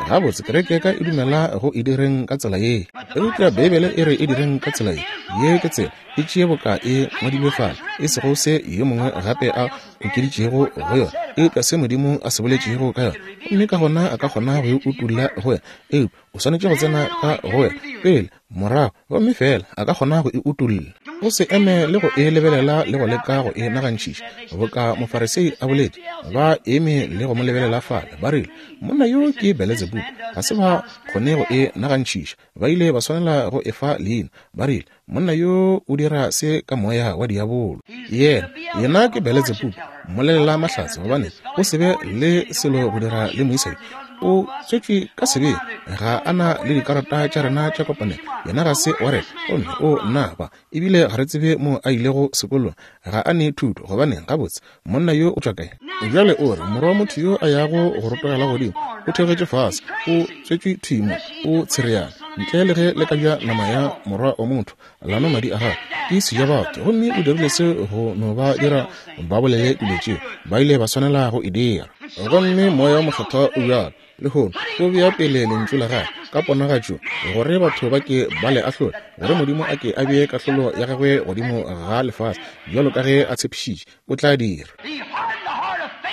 Gabotse, kereke ya ka e dumela go e direng ka tsela ye, eupša Beibele e re e direng ka tsela ye. Ye ke tsela, e tšee boka e ngwadilwe fale, e sego se yo mongwe gape a okeditšego go yona, eupša se Modimo a se boletšego ka yona. Gomme ka gona a ka kgona go e utulla go wena, eupša o swanetše go tsena ka go wena pele, morago, gomme fela a ka kgona go e utulla. O se eme le go e lebelela le go leka go e nagantšhiša, boka Mofarisei a boletše. Ba eme le go mo lebelela fale, ba rile, monna yo ke Beletsebubu. Ga se ba kgone go e nagantšhiša, ba ile ba swanela go e fa leina. Ba rile, monna yo o dira se ka moya wa diabolo. Yena, yena ke Beletsebubu, mmolelela mahlatse, gobane o se be le selo go dira le moisa yo. O tswetšwe ka sebeng, ga a na le dikarata tša rena tša kopanelo. Yena ga se wa rena, gomme o nna ba, ebile ga re tsebe mo a ilego sekolong, ga a ne thuto. Gobaneng, gabotse, monna yo o tšwa kae? Bjale o re, morwa wa motho yo a yago go rotogela godimo, o theogetše fase, o tswetšwe thwi mo, o tshereana. Ntle le ge le ka ja nama ya morwa wa motho, la nwa madi a gagwe, ke sejabatho. Gomme o dirile se go no ba dira ba bolele dilo tšeo, ba ile ba swanela go e dira. Gomme moya o mokgethwa o bjalo lehono, o bea pele lentšu la gagwe ka ponagatšo, gore batho ba ke ba le ahlole, gore Modimo a ke a bee kahlolo ya gagwe godimo ga lefase, bjalo ka ge a tshepišitše o tla dira.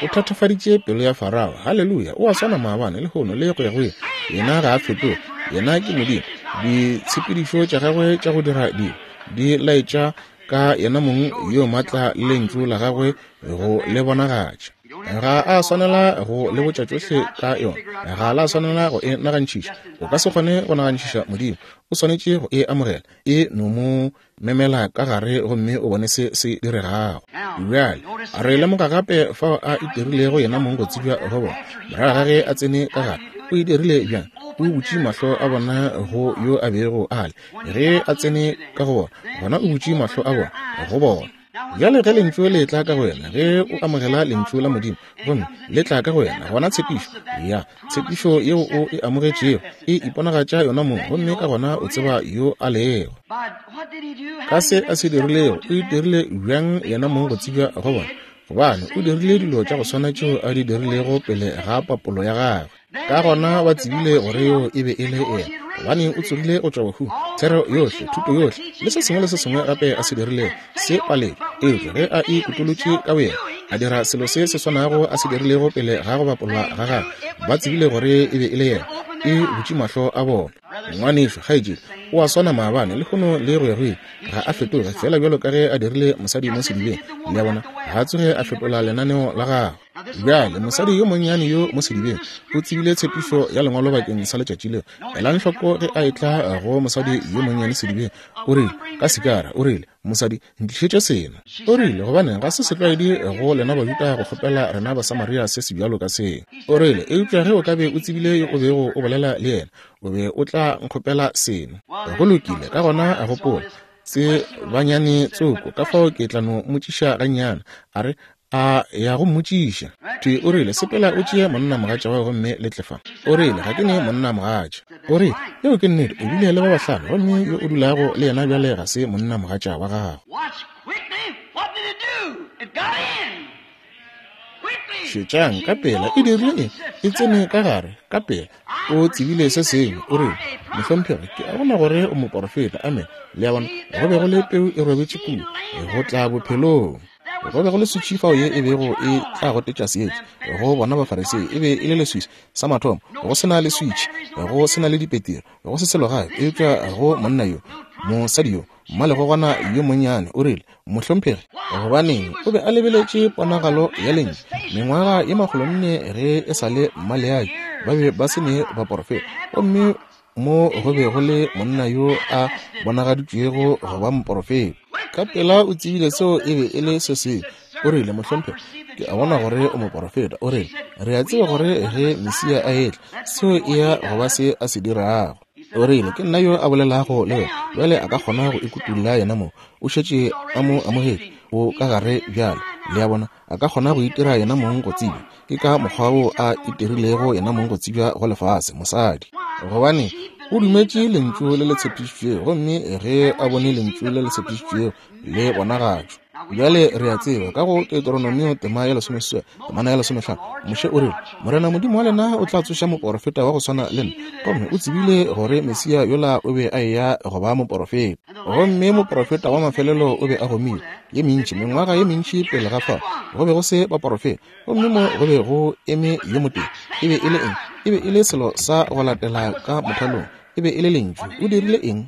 O thatafaditše pelo ya Farao. Haleluya! O a swana maabane, lehono le go ya go ile. Yena ga a fetoge, yena ke Modimo. Ditshepedišo tša gagwe tša go dira dilo di laetša ka yena mong yo maatla le lentšu la gagwe go le bonagatša. Ga a swanela go le botša tšohle ka yona, ga la swanela go e nagantšhiša. O ka se kgone go nagantšhiša Modimo, o swanetše go e amogela, e no mo memela ka gare gomme o bone se se diregago. Bjale re lemoga gape fao a itirilego yena mong go tsebja go bona. Morago ga ge a tsene ka gare, o e dirile bjang? O butše mahlo a bona go yo a bego a le. Ge a tsene ka go bona, gona o butše mahlo a bona go bona. Bjale ge lentšu le tla ka go wena, ge o amogela lentšu la Modimo gomme le tla ka go wena, gona tshepišo ya tshepišo yeo o e amogetšego e iponagatša yona mong, gomme ka gona o tseba yo a lego. Ka se a se dirilego, o itirile bjang yena mong go tsebja go bona? Gobane o dirile dilo tša go swana tšeo a di dirilego pele ga papolo ya gagwe. Ka gona ba tsebile gore yo e be e le yena, gobane o tsogile go tšwa bahung. Thero yohle, thuto yohle, le se sengwe le se sengwe gape a se dirilego se paletšwe. Eupša ge a ikutolotše ka boyena, a dira selo se se swanago a se dirilego pele ga go bapolwa ga gagwe, ba tsebile gore e be e le yena. E butše mahlo a bona. Ngwanešu, kgaetšedi, o a swana maabane, lehono le go ya go ile. Ga a fetoge, fela bjalo ka ge a dirile mosadi mo sedibeng. Le a bona, ga a tsoge a fetola lenaneo la gagwe. Bjale mosadi yo monnyane yo mo sedibeng o tsebile tshepišo ya lengwalo bakeng sa letšatši leo. Elang hloko ge a etla go mosadi yo monnyane sedibeng, o rile ka sikara, o rile, mosadi, ntlišetše seno. O rile, gobane ga se setlwaedi go lena Bajuda go kgopela rena Basamaria se se bjalo ka seo. O rile, eupša ge o ka be o tsebile yo o bego o bolela le yena, o be o tla nkgopela seno. Go lokile, ka gona a gopola tse banyane tsoko, ka fao ke tla no mmotšiša gannyane. A re, A ya go mmotšiša. Thwi o rile, sepela o tšee monnamogatša wa gomme le tle fa. O rile, ga ke ne monnamogatša. O rile, yeo ke nnete, o bile le ba bahlano, gomme yo o dulago le yena bjale ga se monnamogatša wa gago. Šetšang ka pela, e dirile eng? E tsene ka gare, ka pela. O tsebile se sengwe. O rile, mohlomphegi, ke a bona gore o moporofeta. Amen. Le a bona, go be go le peu e robetše kua, go tla bophelong. Go be go le switšhi fao ye e bego e tla gotetša seetša go bona Bafarisei. E be e le leswiswi sa mathomo, go se na le switšhi, go se na le dipetiri, go se selo gape, eupša go monna yo, mosadi yo, mmalegogwana yo monnyane, o rile, mohlomphegi, gobaneng o be a lebeletše ponagalo ya lentšu mengwaga ye makgolonne ge e sa le mmaleaki, ba be ba se ne baporofeta, gomme mo go be go le monna yo a bonagaditšwego go ba moporofeta. Ka pela o tsebile seo e be e le se sengwe. O rile, mohlomphegi, ke a bona gore o moporofeta. O rile, re a tseba gore ge Mesia a etla, seo e ya go ba se a se dirago. O rile, ke nna yo a bolelago le wena. Bjale a ka kgona go ikutulla yena mo. O šetše a mo amogetše, o ka gare bjale. Le a bona, a ka kgona go itira yena mong go tsebja. Ke ka mokgwa wo a itirilego yena mong go tsebja go lefase, mosadi. Gobane o dumetše lentšu le le tshepišitšwego, gomme ge a bone lentšu le le tshepišitšwego le bonagatšwa. Bjale re a tseba ka go Deuteronomio tema ya lesomeseswai, temana ya lesomehlano, Moshe o rile, Morena Modimo wa lena o tla tsoša moporofeta wa go swana le nna. Gomme o tsebile gore Mesia yola o be a eya go ba moporofeta. Gomme moporofeta wa mafelelo o be a gomile ye mentši, mengwaga ye mentši pele ga fao go be go se baporofeta. Gomme mo go be go eme yo motee. E be e le eng? E be e le selo sa go latela ka mothalong. E be e le lentšu. O dirile eng?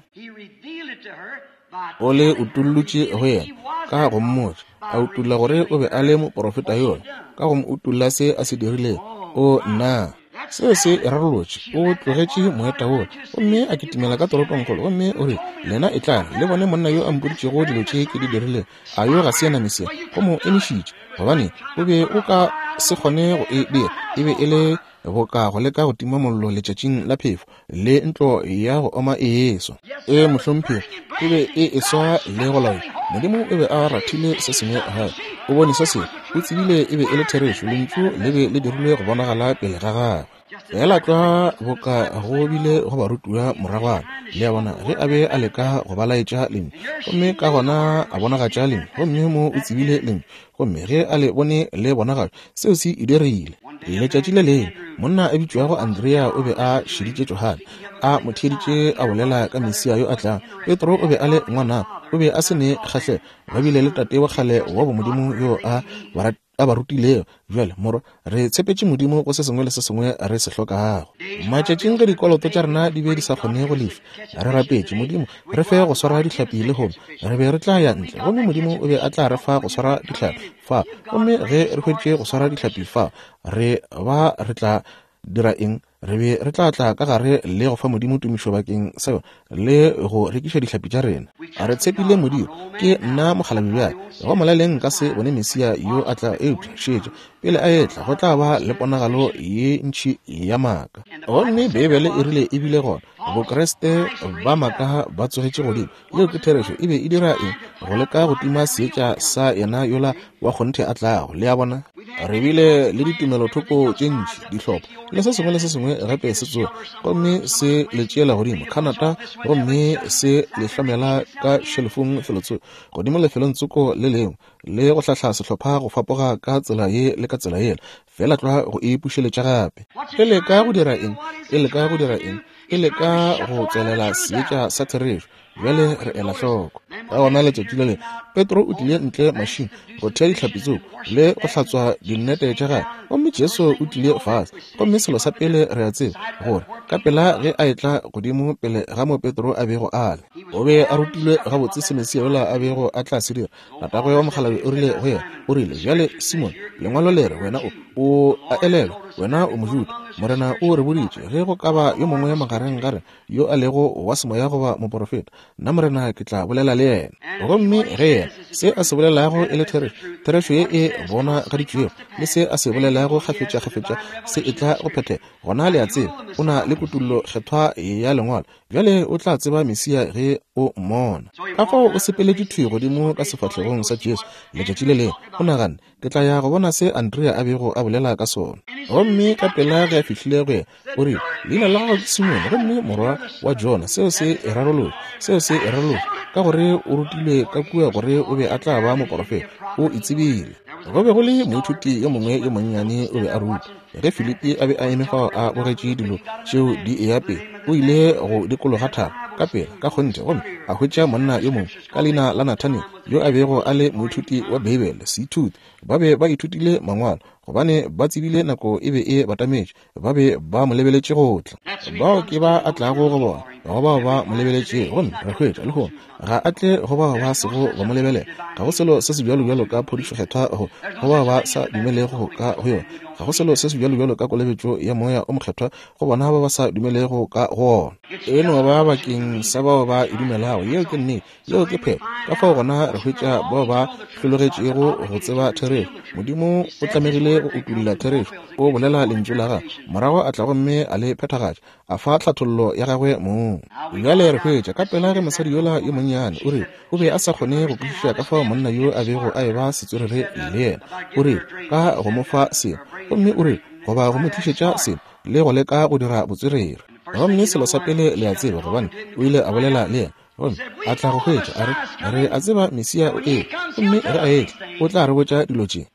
O le utullotše go yena ka go mmotša, a utulla gore o be a le moporofeta yola, ka go mo utulla se a se dirilego. O nna, seo se e rarolotše. O tlogetše moeta wola gomme a kitimela ka toropongkgolo, gomme o rile, lena e tlang le bone monna yo a mpoditšego dilo tše ke di dirilego. A yo ga se yena Mesia? Go mo emišitše, gobane o be o ka se kgone go e dira. E be e le boka go leka go tima mollo letšatšing la phefo le ntlo ya go oma e eswa. E mohlomphegi, e be e eswa le go laola. Modimo o be a rathile se sengwe gae. O bone se sengwe, o tsebile e be e le therešo. Lentšu le be le dirilwe go bonagala pele ga gagwe. Fela tlwa boka go bile go barutiwa moragwana. Le a bona, ge a be a leka go ba laetša lentšu, gomme ka gona a bonagatša lentšu, gomme mo o tsebile lentšu, gomme ge a le bone le bonagatšwa, seo se e dirile. Letšatši le lengwe monna a bitšwago Andrea o be a šeditše Johane, a mo theeditše a bolela ka Mesia yo a tlang. Petro o be a le ngwana, o be a se ne kgahlego. Ba bile le tate wa kgale wa bomodimo yo a ba a ba rutilego. Bjale morwa, re tshepetše Modimo go se sengwe le se sengwe re se hlokago. Matšatšing ge dikoloto tša rena di be di sa kgone go lefa, re rapetše Modimo re fe go swara dihlapi lehono. Re be re tla ya ntle, gomme Modimo o be a tla re fa go swara dihlapi fa. Gomme ge re hweditše go swara dihlapi fa, re ba re tla dira eng? Re be re tla tla ka gare le go fa Modimo tumišo bakeng sa yona le go rekiša dihlapi tša rena. A re tshepile Modimo. Ke nna mokgalabje bjale. Go molaleng nka se bone Mesia yo a tla, eupša šetša pele a etla go tla ba le ponagalo ye ntši ya maaka. Gomme Beibele e rile e bile gona Bokreste ba maaka ba tsogetše godimo. Yeo ke therešo. E be e dira eng? Go leka go tima seetša sa yena yola wa kgonthe a tlago. Le a bona, re bile le ditumelothoko tše ntši, dihlopha le se sengwe le se sengwe gape se tsoga, gomme se le tšeela godimo Canada, gomme se le hlomela ka šelefong felotsoko godimo lefelong tsoko le lengwe, le go hlahla sehlopha go fapoga ka tsela ye le ka tsela yela, fela tlwa go e pušeletša gape. E leka go dira eng? E leka go dira eng? E leka go tswelela seetša sa therešo. Bjale re ela hloko. Ka gona letšatši le lengwe Petro o tlile ntle mašing go thea dihlapi tsoko le go hlatswa dinnete tša gagwe, gomme Jesu o tlile fase. Gomme selo sa pele re a tseba gore ka pela ge a etla godimo pele ga mo Petro a bego a le, o be a rutilwe gabotse se Mesia yola a bego a tla se dira. Tatagwe wa mokgalabje o rile go yena, o rile, bjale Simon, lengwalo le re wena o o a elelwa, wena o Mojuda. Morena o re boditše ge go ka ba yo mongwe magareng ga rena yo a lego wa semoya goba moporofeta, nna Morena ke tla bolela le yena. Gomme ge yena se a se bolelago e le therešo, therešo ye e bonagaditšwego, le se a se bolelago kgafetša-kgafetša se e tla go phethega, gona le a tseba o na le kutullo kgethwa ya lengwalo. Bjale o tla tseba Mesia ge o mmona. Ka fao o sepeletše thwi godimo ka sefahlegong sa Jesu letšatši le lengwe. O naganne, ke tla ya go bona se Andrea a bego a bolela ka sona. Gomme ka pela ge a fihlile go yena, o rile, leina la gago ke Simone, gomme morwa wa Jona. Seo se e rarolotše, seo se e rarolotše, ka gore o rutilwe ka kua gore o be a tla ba moporofeta. O e tsebile. Go be go le moithuti yo mongwe yo monnyane o be a ruta. Ge Filipi a be a eme fao a bogetše dilo tšeo di eya pele, o ile go dikologa thaba ka pela ka kgonthe gomme a hwetša monna yo mongwe ka leina la Nathaniel, yo a bego a le moithuti wa Beibele, seithuti. Ba be ba ithutile mangwalo, gobane ba tsebile nako e be e batametše. Ba be ba mo lebeletše go tla. Bao ke ba a tlago go bona, go bao ba mo lebeletšego. Gomme re hwetša lehono ga a tle go bao ba sego ba mo lebelela. Ga go selo se sebjalobjalo ka phodišo kgethwa go go bao ba sa dumelego ka go yona. Ga go selo se sebjalobjalo ka kolobetšo ya moya o mokgethwa go bona ba ba sa dumelego ka go ona. E no ba bakeng sa bao ba e dumelago. Yeo ke nnete, yeo ke phetho. Ka fao gona re hwetša bao ba hlologetšego go tseba therešo. Modimo o tlamegile go utolla therešo. O bolela lentšu la gagwe, morago a tla gomme a le phethagatša, a fa tlhathollo ya gagwe mong. Bjale re hwetša ka pela ge mosadi yola yo monnyane o rile o be a sa kgone go kwešiša ka fao monna yo a bego a eba setswerere le yena. O rile ka go mo fa selo, gomme o rile goba go mo tlišetša selo le go leka go dira botswerere. Gomme selo sa pele le a tseba, gobane o ile a bolela le yena, gomme a tla go hwetša a re, re a tseba Mesia o etla, gomme ge a etla o tla re botša dilo tše.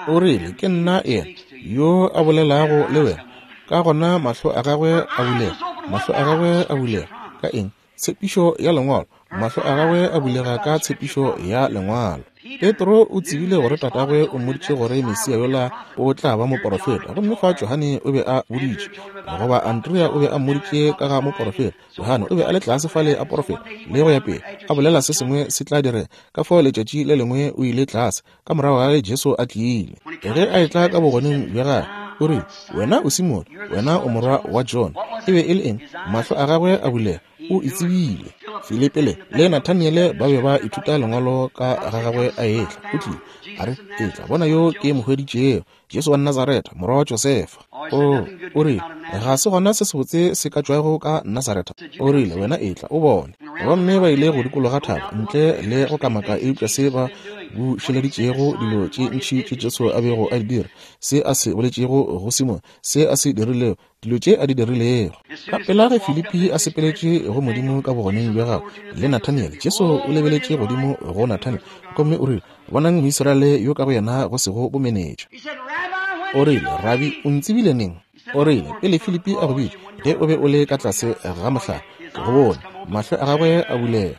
O rile, ke nna yena yo a bolelago le wena. Ka gona mahlo a gagwe a bulega, mahlo a gagwe a bulega ka eng? Tshepišo ya lengwalo. Mahlo a gagwe a bulega ka tshepišo ya lengwalo. Petro o tsebile gore tatagwe o mmoditše gore Mesia yola o tla ba moporofeta, gomme fa Johane o be a boditše, goba Andrea o be a mmoditše ka ga moporofeta. Johane o be a le tlase fale a porofeta le go ya pele, a bolela se sengwe se tla direga. Ka fao letšatši le lengwe o ile tlase ka morago ga ge Jesu a tlile. Ge a etla ka bogoneng bja gagwe, o rile, wena o Simone, wena o morwa wa Jona. E be e le eng? Mahlo a gagwe a bulega, o e tsebile. Filipi le le Nathaniele ba be ba ithuta lengwalo ka ga gagwe a etla. O tlile a re, etla bona yo ke mo hweditšego, Jesu wa Nazaretha, morwa wa Josefa. O o rile, ga se gona se sebotse se ka tšwago ka Nazaretha. O rile, wena etla o bone. Gomme ba ile go dikologa thaba ntle le go kamaka, eupša se ba bušeleditšego dilo tše ntši tše Jesu a bego a di dira, se a se boletšego go Simone, se a se dirilego, dilo tše a di dirilego. Ka pela ge Filipi a sepeletše go Modimo ka bogoneng bja gagwe le Nathaniele, Jesu o lebeletše godimo go Nathaniele gomme o rile, bonang Moisraele yo ka go yena go sego bomenetša. O rile, Rabi, o ntsebile neng? O rile, pele Filipi a go bitša, ge o be o le ka tlase ga mohlare, ke go bone. Mahlo a gagwe a bulega.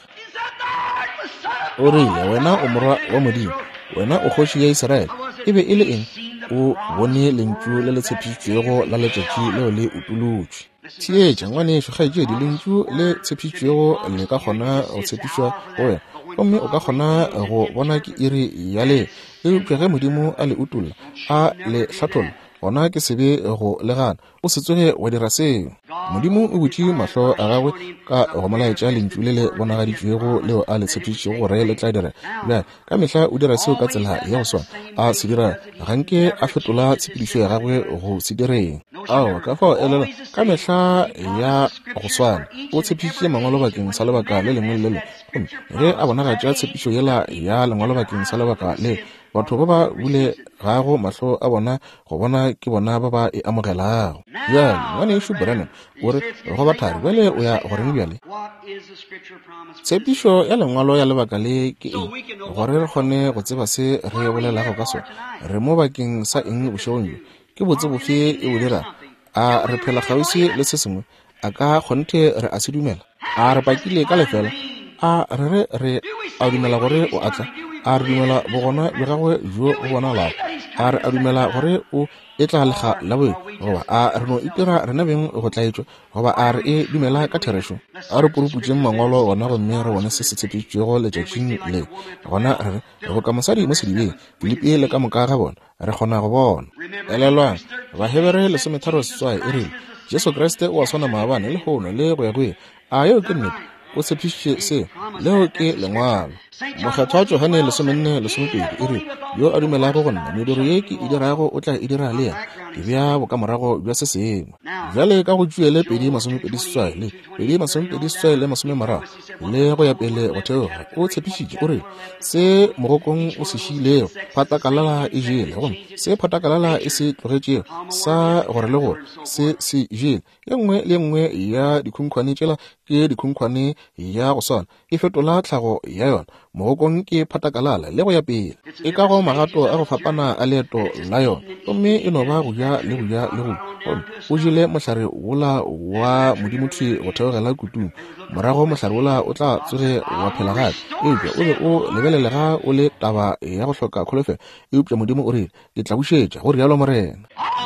O rile, wena o morwa wa Modimo, wena o kgoši ya Israele. E be e le eng? O bone lentšu le le tshepišitšwego la letšatši leo le utolotšwe. Theetša, ngwanešu, kgaetšedi, lentšu le tshepišitšwego le ka kgona go tshepišwa go wena, gomme o ka kgona go bona ke iri ya le. Eupša ge Modimo a le utolla, a le hlatholla, gona ke sebe go le gana. O se tsoge wa dira seo. Modimo o butše mahlo a gagwe ka go mo laetša lentšu le le bonagaditšwego leo a le tshepišitšego gore le tla direga. Bjale ka mehla o dira seo ka tsela ya go swana a se dira, ga nke a fetola tshepedišo ya gagwe go se direng. Ao, ka fao elela, ka mehla ya go swana o tshepišitše mangwalo bakeng sa lebaka le lengwe le le lengwe, gomme ge a bonagatša tshepišo yela ya lengwalo bakeng sa lebaka le, batho ba ba bulegago mahlo a bona go bona ke bona ba ba e amogelago. Bjale ngwanešu Branham o re go bathari, bjale o ya goreng bjale? Tshepišo ya lengwalo ya lebaka le ke eng, gore re kgone go tseba se re bolelago ka sona? Re mo bakeng sa eng bošegong bjo? Ke botse bofe e bo dirago? A re phela kgauswi le se sengwe? A ka kgonthe re a se dumela? A re pakile ka lefela? A re re re a dumela gore o atla? A re dumela bogona bja gagwe bjo bo bonalago? A re a dumela gore o etla lega la boe? Goba a re no itira rena beng go tlaetšwa? Goba a re e dumela ka therešo? A re puruputšeng mangwalo gona gomme re bone se se tshepišitšwego letšatšing le. Gona re re boka mosadi mo sedibeng, Filipi le ka moka ga bona, re kgona go bona. Elelwang, Bahebere lesometharo seswai e rile, Jesu Kriste o a swana maabane, lehono le go ya go ile. A yeo ke nnete? O tshepišitše seo. Leo ke lengwalo. Mokgethwa Johane lesomenne lesomepedi e re, yo a dumelago go nna, mediro ye ke e dirago o tla e dira le yena. Ke bea bokamorago bja se sengwe. Bjale ka go Joele pedi masomepedi seswai le pedi masomepedi seswai le masomemararo le go ya pele go theoga, o tshepišitše o re, se mogokong o se šiilego phatakalala e jele, gomme se phatakalala e se tlogetšego sa gore le gore se se jele. Ye nngwe le nngwe ya dikhunkhwane tšela ke dikhunkhwane ya go swana, e fetola tlhago ya yona. Mogokong ke phatakalala le go ya pele, e ka go magato a go fapana a leeto la yona, gomme e no ba go ja le go ja le go. Gomme o jele mohlare wola wa Modimo thwi go theogela kutung, morago mohlare wola o tla tsoge wa phela gape. Eupša o be o lebelelega o le taba ya go hloka kholofelo, eupša Modimo o rile, ke tla bušetša, go rialo Morena.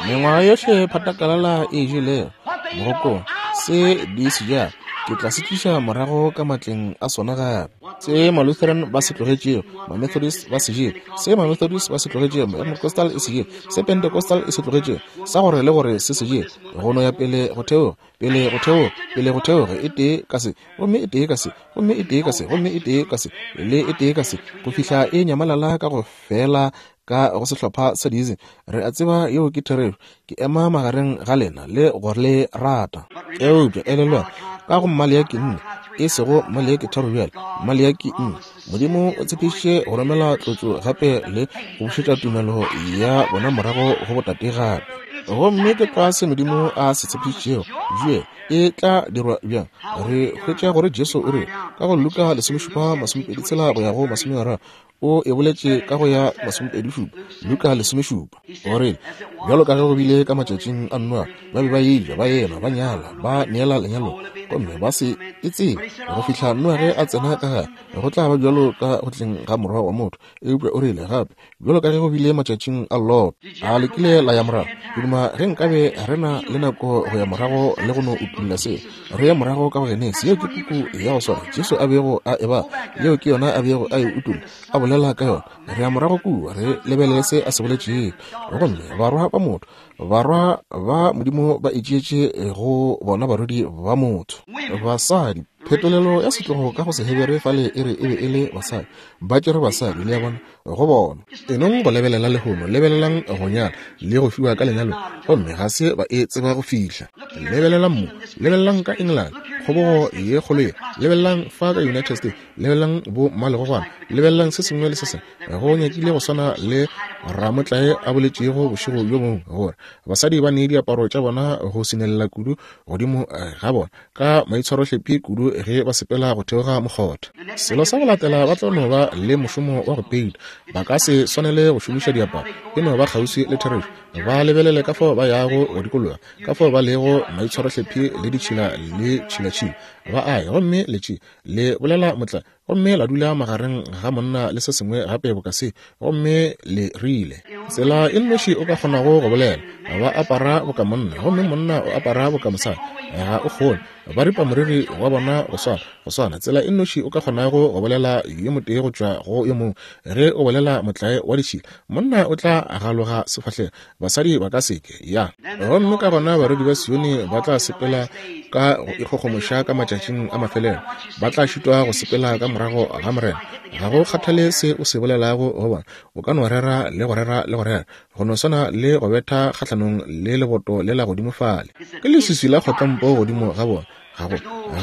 Mengwaga yohle phatakalala e jelego mogokong, se di se ja, ke tla se tliša morago ka matleng a sona gape. Se Malutheran ba se tlogetšego, Mamethodist ba se jele. Se Mamethodist ba se tlogetšego, Pentecostal e se jele. Se Pentecostal e se tlogetšego, sa gore le gore se se jele. Go no ya pele go theoga, pele go theoga, pele go theoga, e tee ka se, gomme e tee ka se, gomme e tee ka se, gomme e tee ka se, le e tee ka se, go fihla e nyamalala ka go fela ka go sehlopha sa dizi. Re a tseba yeo ke therešo. Ke ema magareng ga lena le gore le rata. Eupša elelwa, ka go Maleaki nne, e sego Maleaki tharo bjale, Maleaki nne, Modimo o tshepišitše go romela tlotšo gape le go bušetša tumelo ya bona morago go botate gape. Gomme ke tlwa se Modimo a se tshepišitšego. Joele e tla dirwa bjang? Re hwetša gore Jesu o re ka go Luka lesomešupa masomepedi tshela go ya go masomeraro, o e boletše ka go ya masomepedi šupa, Luka lesomešupa, o rile, bjalo ka ge go bile ka matšatšing a Noa, ba be ba eja, ba enwa, ba nyala, ba neela lenyalo, gomme ba se e tsebe go fihla Noa ge a tsena ka gare. Go tla ba bjalo ka go tleng ga morwa wa motho. Eupša o rile gape, bjalo ka ge go bile matšatšing a Lot. A le kile la ya morago? Ke duma ge nkabe re na le nako go ya morago le go no utulla se. Re ye morago ka go Genesi. Yeo ke puku ya go swana Jesu a bego a e ba, yeo ke yona a bego a e utulla, a bolela ka yona. Re ya morago kua, re lebelele se a se boletšego. Gomme barwa ba motho, barwa ba Modimo ba itšeetše go bona barwedi ba motho. Basadi, phetolelo ya setlogo ka go Sehebere fale e re e be e le basadi, ba tšere basadi, le ya bona, go bona. Enong go lebelela lehono, lebelelang go nyala le go fiwa ka lenyalo, gomme ga se ba e tseba go fihla. Lebelelang mo, lebelelang ka England, kgobogo ye kgolo ye, lebelelang fa ka United States, lebelelang bo mmalegogwana, lebelelang se sengwe le se sengwe. Go nyakile go swana le ramotlae a boletšego bošego bjo bongwe gore basadi ba nee diaparo tša bona go sinelela kudu godimo ga bona ka maitshwarohlephi kudu ge ba sepela go theoga mokgotha. Selo sa go latela ba tla no ba le mošomo wa go peita, ba ka se swanele go šomiša diaparo, e no ba kgauswi le therešo. Ba lebelele ka fao ba yago go dikologa, ka fao ba lego maitshwarohlephi le ditšhila le tšhilatšhila. Ba aya gomme letše le bolela motla, gomme la dula magareng ga monna le se sengwe gape boka se, gomme le rile tsela e nnoši o ka kgonago go bolela, ba apara boka monna, gomme monna o apara boka mosadi. Ga o kgone, ba ripa moriri wa bona go swana, go swana. Tsela e nnoši o ka kgonago go bolela yo motee go tšwa go yo mongwe, ge o bolela motlae wa ditšhila, monna o tla galoga sefahlego, basadi ba ka seke ya. Gomme ka gona barwedi ba Sione ba tla sepela ka go ikgogomoša ka matšatšing a mafelelo, ba tla šitwa go sepela ka morago ga Morena. Ga go kgathale se o se bolelago go bona, o ka no rera le go rera le go rera, go no swana le go betha kgahlanong le leboto le la godimo fale. Ke leswiswi la kgotlampo godimo ga bona. Ga go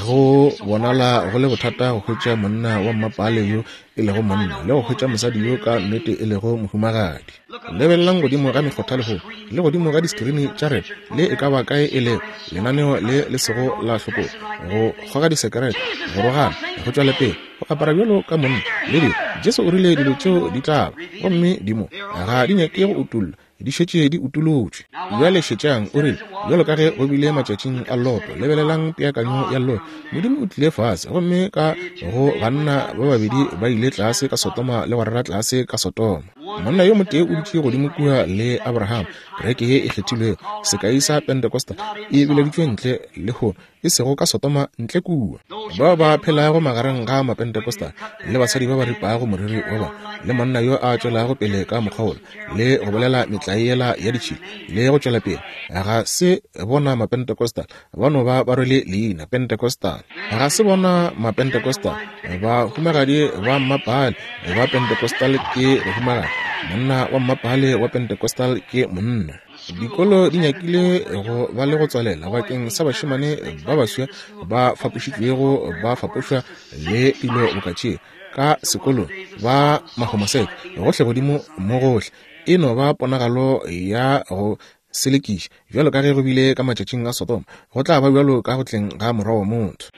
go bonala go le bothata go hwetša monna wa mmapale yo e lego monna le go hwetša mosadi yo ka nnete e lego mohumagadi. Lebelelang godimo ga mekgotha lehono le godimo ga diskrini tša rena, le e ka ba kae e lego lenaneo le le sego la hlokolo, go kgoga disekerete, go rogana, go tšwela pele, go apara bjalo ka monna le dilo. Jesu o rile dilo tšeo di tla ba, gomme di mo, ga di nyake go utollwa, di šetše di utolotšwe. Bjale šetšang, o rile, bjalo ka ge go bile matšatšing a Loto. Lebelelang peakanyo ya Loto. Modimo o tlile fase, gomme ka go banna ba babedi ba ile tlase ka Sodoma le go rera tlase ka Sodoma. Monna yo motee o dutše godimo kua le Abraham, Kereke ye e kgethilwego, sekai sa Pentecostal, e bileditšwe ntle lehono, e sego ka Sodoma ntle kua. Bao ba phelago magareng ga Mapentecostal le basadi ba ba ripago moriri wa bona, le monna yo a tšwelago pele ka mokgwa wola, le go bolela metlae yela ya ditšhila, le go tšwela pele, ga se bona Mapentecostal, ba no ba ba rwele leina Pentecostal. Ga se bona Mapentecostal, bahumagadi ba mmapale ba Pentecostal ke bahumagadi, monna wa mmapale wa Pentecostal ke monna. Dikolo di nyakile go ba le go tswalela bakeng sa bašemane ba baswa ba fapošitšwego, ba fapošwa le dilo boka tše ka sekolong, ba mahomoseke gohle godimo mo gohle. E no ba ponagalo ya go selekiša, bjalo ka ge go bile ka matšatšing a Sodoma, go tla ba bjalo ka go tleng ga Morwa wa motho.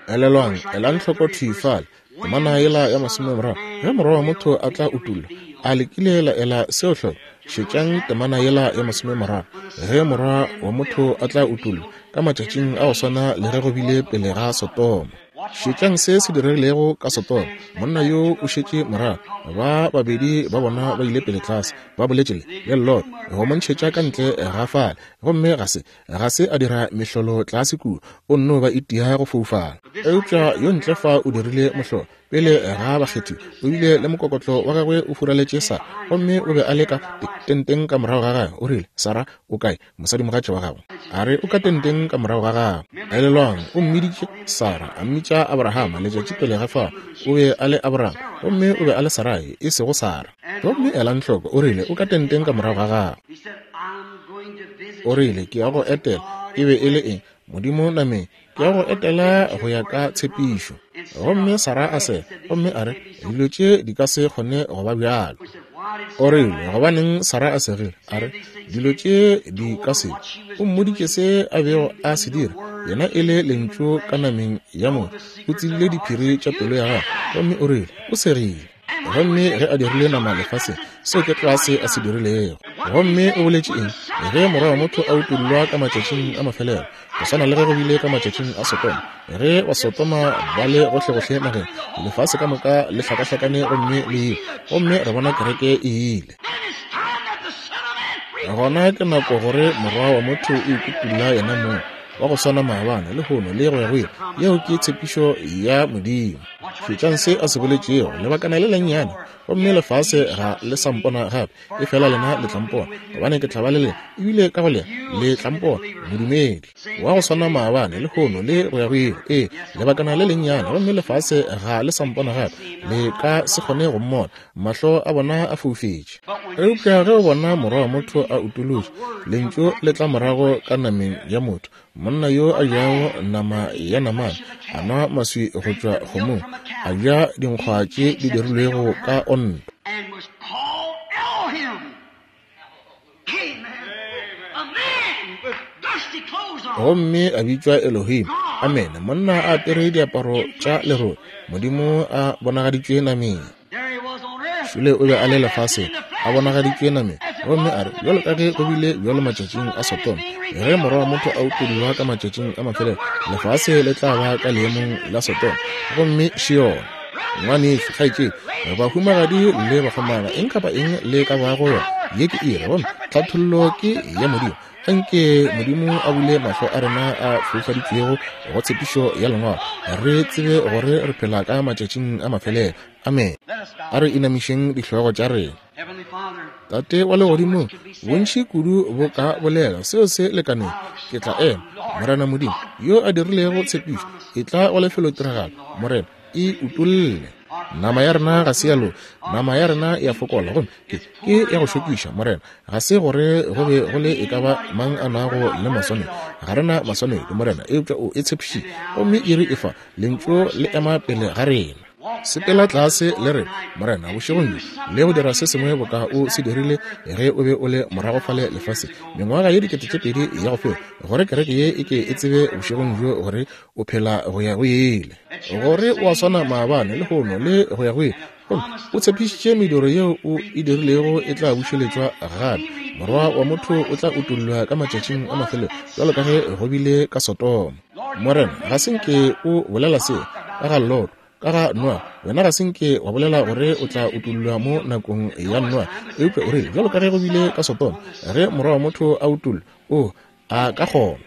Elelwang, elang hloko thwi fale, temana yela ya masomemoraro, ge Morwa wa motho a tla utollwa. A le kile la ela seo hloko? Šetšang temana yela ya masomemoraro, ge Morwa wa motho a tla utollwa ka matšatšing a go swana le ge go bile pele ga Sodoma. Šetšang se se diregilego ka Sodoma. Monna yo o šetše morago, ba babedi ba bona ba ile pele tlase, ba boletše le le Lot go mo ntšhetša ka ntle ga fale, gomme ga se ga se a dira mehlolo tlase kua, o nno ba itia go foufala. Eupša yo ntle fa o dirile mohlolo pele ga bakgethi, o bile le mokokotlo wa gagwe o furaletše Sara, gomme o be a le ka tenteng ka morago ga gagwe. O rile, Sara o kae, mosadimogatša wa gago? A re, o ka tenteng ka morago ga gagwe. Elelwang, o mmiditše Sara, a mmitša Abrahama letšatši pele ga fao. O be a le Abraham, gomme o be a le Sarai, e sego Sara. Gomme elang hloko, o rile, o ka tenteng ka morago ga gagwe. O rile, ke ya go etela. E be e le eng? Modimo nameng, ke ya go etela go ya ka tshepišo. Gomme Sara a sega, gomme a re, dilo tše di ka se kgone go ba bjalo. O rile, gobaneng Sara a segile? A re, dilo tše di ka se. O mmoditše se a bego a se dira, yena e le lentšu ka nameng ya motho. O tsebile diphiri tša pelo ya gagwe, gomme o rile, o segile. Gomme ge a dirile nama lefaseng, seo ke tlwa se a se dirilego. Gomme o boletše eng? Ge Morwa wa motho a utollwa ka matšatšing a mafelelo, go swana le ge go bile ka matšatšing a Sodoma, ge Basodoma ba le gohlegohle nageng, lefase ka moka le hlakahlakane gomme le ile, gomme re bona kereke e ile. Gona ke nako gore Morwa wa motho o ikutulla yena mong, wa go swana maabane, lehono le go ya go ile. Yeo ke tshepišo ya Modimo. Šetšang se a se boletšego, lebakana le lennyane, gomme lefase ga le sa mpona gape, efela lena le tla mpona, gobane ke tla ba le lena, ebile ka go lena le tla mpona. Modumedi wa go swana maabane, lehono le go ya go ile. Ee, lebakana le lennyane, gomme lefase ga le sa mpona gape, le ka se kgone go mmona, mahlo a bona a foufetše. Eupša ge o bona Morwa wa motho a utolotšwe, lentšu le tla morago ka nameng ya motho, monna yo a jago nama ya namane, a nwa maswi go tšwa kgomong, a ja dinkgwa tše di dirilwego ka onto. Gomme a bitšwa Elohim. Amen. Monna a apere diaparo tša lerole, Modimo a bonagaditšwe nameng. Šule o be a le lefaseng, a bonagaditšwe nameng. Gomme a re, bjalo ka ge go bile bjalo matšatšing a Sodoma, ge Morwa wa motho a utollwa ka matšatšing a mafelelo, lefase le tla ba ka leemong la Sodoma. Gomme Sheol. Ngwanešu, kgaetšedi, bahumagadi le bakgomana, eng kapa eng le ka bago yona, ye ke iri, gomme tlhathollo ke ya Modimo. Anke Modimo a bule mahlo a rena a foufaditšwego go tshepišo ya Lengwalo, re tsebe gore re phela ka matšatšing a mafelelo. Amen. A re inamišeng dihlogo tša rena. Tate wa legodimong, bontši kudu bo ka bolela seo se lekaneng. Ke tla ema, Morena Modimo, yo a dirilego tshepišo, e tla go lefelotiragalo, Morena, e utolle. Nama ya rena ga se ya loka, nama ya rena ya fokola, gomme ke ke ya go šokiša, Morena. Ga se gore go be go le e ka ba mang a nago le maswanedi, ga rena maswanedi, Morena, eupša o e tshepišitše, gomme iri e fa, lentšu le ema pele ga rena. Sepela tlase le re, Morena, bošegong bjo, le go dira se sengwe boka o se dirile ge o be o le morago fale lefaseng mengwaga ye dikete tše pedi ya go feta, gore kereke ye e ke e tsebe bošegong bjo gore o phela go ya go ile, gore o a swana maabane, lehono le go ya go ile. Gomme o tshepišitše mediro yeo o e dirilego e tla bušeletšwa gape. Morwa wa motho o tla utollwa ka matšatšing a mafelelo, bjalo ka ge go bile ka Sodoma. Morena, ga se nke o bolela seo ka ga Lot, Ka ga Noa, wena ga se nke wa bolela gore o tla utollwa mo nakong ya Noa, eupša o rile, bjalo ka ge go bile ka Sodoma, ge morwa wa motho a utollwa, o a ka kgona.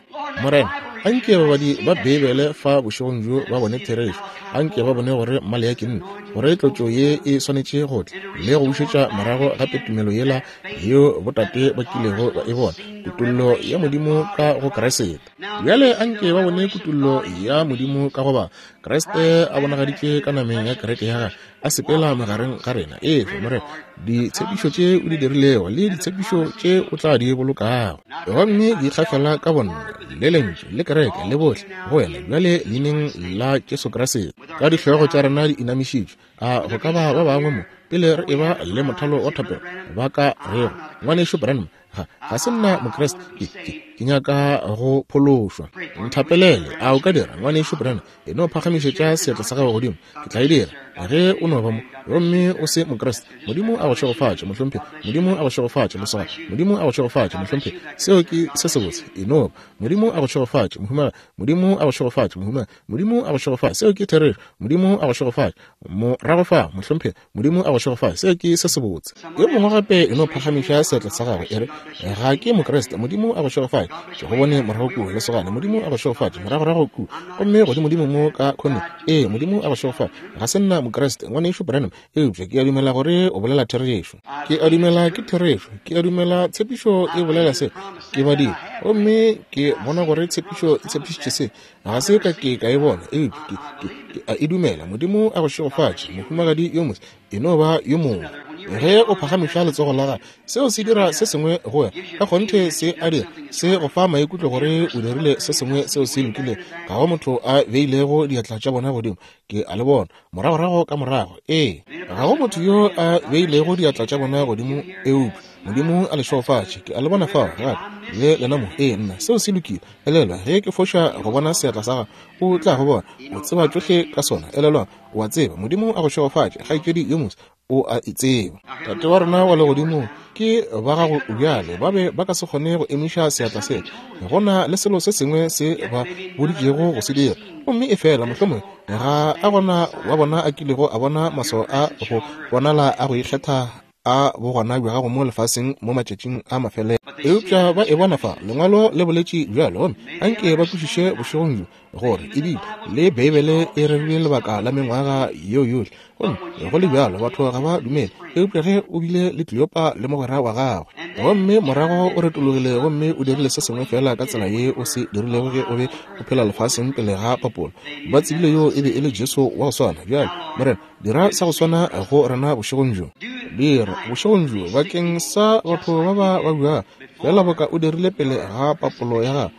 Morena, anke babadi ba Beibele fa bošegong bjo ba bone therešo. Anke ba bone gore Maleaki ke nne, gore tlotšo ye e swanetše go tla le go bušetša morago gape tumelo yela yeo botate ba kilego ba e bona, kutollo ya Modimo ka go Kriste. Bjale anke ba bone kutollo ya Modimo ka go ba Kriste a bonagaditše ka nameng ya kereke ya gagwe, a sepela magareng ga rena. Efe, Morena, ditshepišo tše o di dirilego le ditshepišo tše o tla di bolokago, gomme di ikgafela ka bonna le lentšu le kereke le bohle go wena bjale leineng la Jesu Kriste. Ka dihlogo tša rena di inamišitšwe, a go ka ba ba bangwe mo pele re eba le mothalo wa thapelo ba ka rego, Ngwanešu Branham, ga ga se nna Mokriste, ke, ke, ke nyaka go phološwa, nthapelele. A o ka dira, Ngwanešu Branham? E no phagamišetša seatla sa gago godimo, ke tla e dira. Ge o no ba mo gomme o se Mokriste, Modimo a go šegofatše, mohlomphegi. Modimo a go šegofatše, mosogana. Modimo a go šegofatše, mohlomphegi. Seo ke se sebotse. E no ba. Modimo a go šegofatše, mohumagadi. Modimo a go šegofatše, mohumagadi. Modimo a go šegofatše. Seo ke therešo. Modimo a go šegofatše. Morago fa, mohlomphegi. Modimo a go šegofatše. Seo ke se sebotse. Yo mongwe gape e no phagamiša seatla sa gagwe, e re, ga ke Mokriste. Modimo a go šegofatše. Ke go bone morago kua, lesogana. Modimo a go šegofatše. Moragorago kua. Gomme godimodimo mo ka khoneng. Ee, Modimo a go šegofatše. Ga se nna Mokriste, Ngwanešu Branham, eupša ke a dumela gore o bolela therešo. Ke a dumela ke therešo. Ke a dumela tshepišo e bolela se. Ke badile gomme ke bona gore tshepišo e tshepišitše se. Ga se ka ke ka e bona, eupša ke, ke, ke a e dumela. Modimo a go šegofatše, mohumagadi yo motse. E no ba yo mongwe. Ge o phagamiša letsogo la gago, seo se dira se sengwe go wena. Ka kgonthe se a dira, se go fa maikutlo gore o dirile se sengwe seo se lokilego. Ga go motho a beilego diatla tša bona godimo, ke a le bona moragorago ka morago. Ee, ga go motho yo a beilego diatla tša bona godimo, eupša Modimo a le šegofatše. Ke a le bona fao gape le lena mo. Ee, nna, seo se lokile. Elelwa, ge ke foša go bona seatla sa gago, o tla go bona. O tseba tšohle ka sona. Elelwa, o a tseba. Modimo a go šegofatše, kgaetšedi yo motse. O a e tseba. Tate wa rena wa legodimo, ke ba gago bjale. Ba be ba ka se kgone go emiša seatla se. Go na le selo se sengwe se ba boditšego go se dira, gomme e fela mohlomongwe ga a gona wa bona a kilego a bona maswao a go bonala a go ikgetha a bogona bja gago mo lefaseng mo matšatšing a mafelelo. Eupša ba e bona fa, lengwalo le boletše bjalo, gomme anke ba kwešiše bošegong bjo gore ebile le Beibele e rerile lebaka la mengwaga yeo yohle, gomme go le bjalo batho ga ba dumele. Eupša ge o bile le Kleopa le mogwera wa gagwe, gomme morago o retologile gomme o dirile se sengwe fela ka tsela ye o se dirilego ge o be o phela lefaseng pele ga papolo, ba tsebile yo e be e le Jesu wa go swana. Bjale, Morena, dira sa go swana go rena bošegong bjo. Dira bošegong bjo bakeng sa batho ba ba babja, fela boka o dirile pele ga papolo ya gago.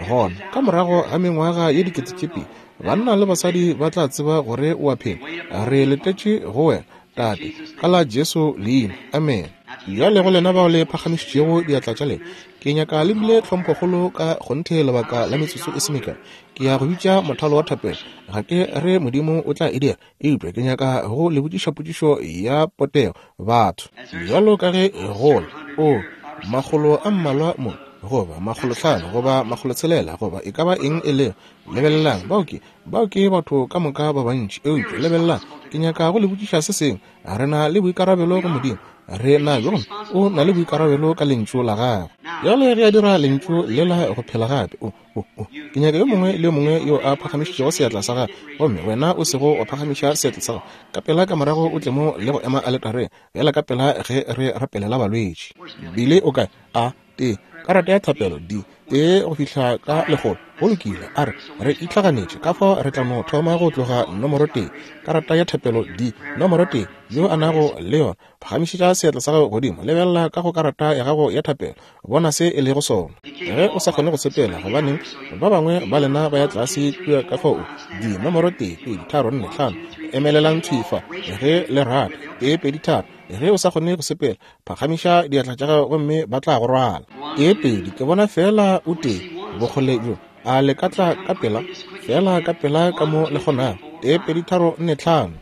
Gona ka morago ga mengwaga ye dikete tše pedi, banna le basadi ba tla tseba gore o a phela. Re letetše go wena, Tate, ka la Jesu leina. Amen. Bjale go lena bao le phagamišitšego diatla tša lena, ke nyaka le bile tlhomphokgolo ka kgonthe lebaka la metsotso e se mekae. Ke ya go bitša mothalo wa thapelo. Ga ke re Modimo o tla e dira, eupša ke nyaka go le botšiša potšišo ya potego, batho. Bjalo ka ge gola, o makgolo a mmalwa mo, goba makgolo hlano, goba makgolo tshelela, goba e ka ba eng e lego. Lebelelang, bao ke bao ke batho ka moka ba bantši, eupša lebelelang, ke nyaka go le botšiša se sengwe. Re na le boikarabelo go Modimo. Re na bjona, o na le boikarabelo ka lentšu la gagwe. Bjale ge a dira lentšu lela go phela gape, o o o ke nyaka yo mongwe le yo mongwe yo a phagamišitšego seatla sa gagwe, gomme wena o sego wa phagamiša seatla sa gago, ka pela ka morago o tle mo le go ema aletareng, bjala ka pela ge re rapelela balwetši. Bile o kae? A tee karata ya thapelo D tee go fihla ka lekgolo. Go lokile, a re re itlhaganetše ka fao re tla no thoma go tloga nomoro tee. Karata ya thapelo D nomoro tee, yo a nago le yona, phagamišetša seatla sa gago godimo, lebelela ka go karata ya gago ya thapelo, bona se e lego sona. Ge o sa kgone go sepela, gobaneng ba bangwe ba lena ba ya tlase kua ka fao D nomoro tee pedi tharo nne hlano, emelelang thwi fa ge le rata. Tee pedi tharo. Ge o sa kgone go sepela, phagamiša diatla tša gago gomme ba tla go rwala. Tee pedi, ke bona fela o tee bokgole bjo. A le ka tla ka pela, fela ka pela ka mo le kgonago. Tee pedi tharo nne hlano.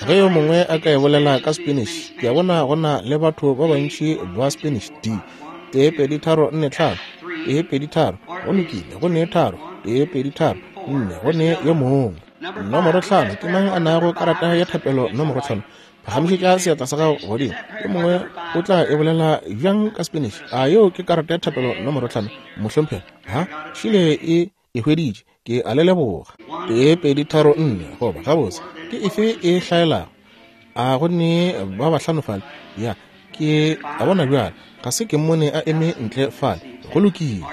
Ge yo mongwe a ka e bolela ka Spanish, ke a bona go na le batho ba bantši ba Spanish. D tee pedi tharo nne hlano, tee pedi tharo, go lokile, go ne tharo, tee pedi tharo nne, go ne yo mongwe. Nomoro hlano, ke mang a nago karata ya thapelo nomoro hlano? Phagamišetša seatla sa gago godimo. Yo mongwe o tla e bolela bjang ka Spanish? A yeo ke karata ya thapelo nomoro hlano, mohlomphegi? Ha, šile e e hweditše. Ke a le leboga. Tee, pedi, tharo, nne. Goba gabotse ke efe e hlaelago? A go ne ba bahlano fale? Ya, ke a bona bjale. Ga se ke mmone a eme ntle fale. Go lokile.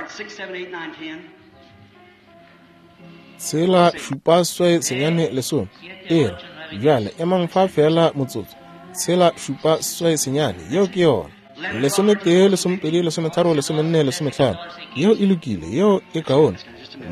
Tshela, šupa, seswai, senyane, lesome. E re, bjale emang fa fela motsotso. Tshela, šupa, seswai, senyane. Yeo ke yona. Lesometee, lesomepedi, lesometharo, lesomenne, lesomehlano. Yeo e lokile. Yeo e kaone.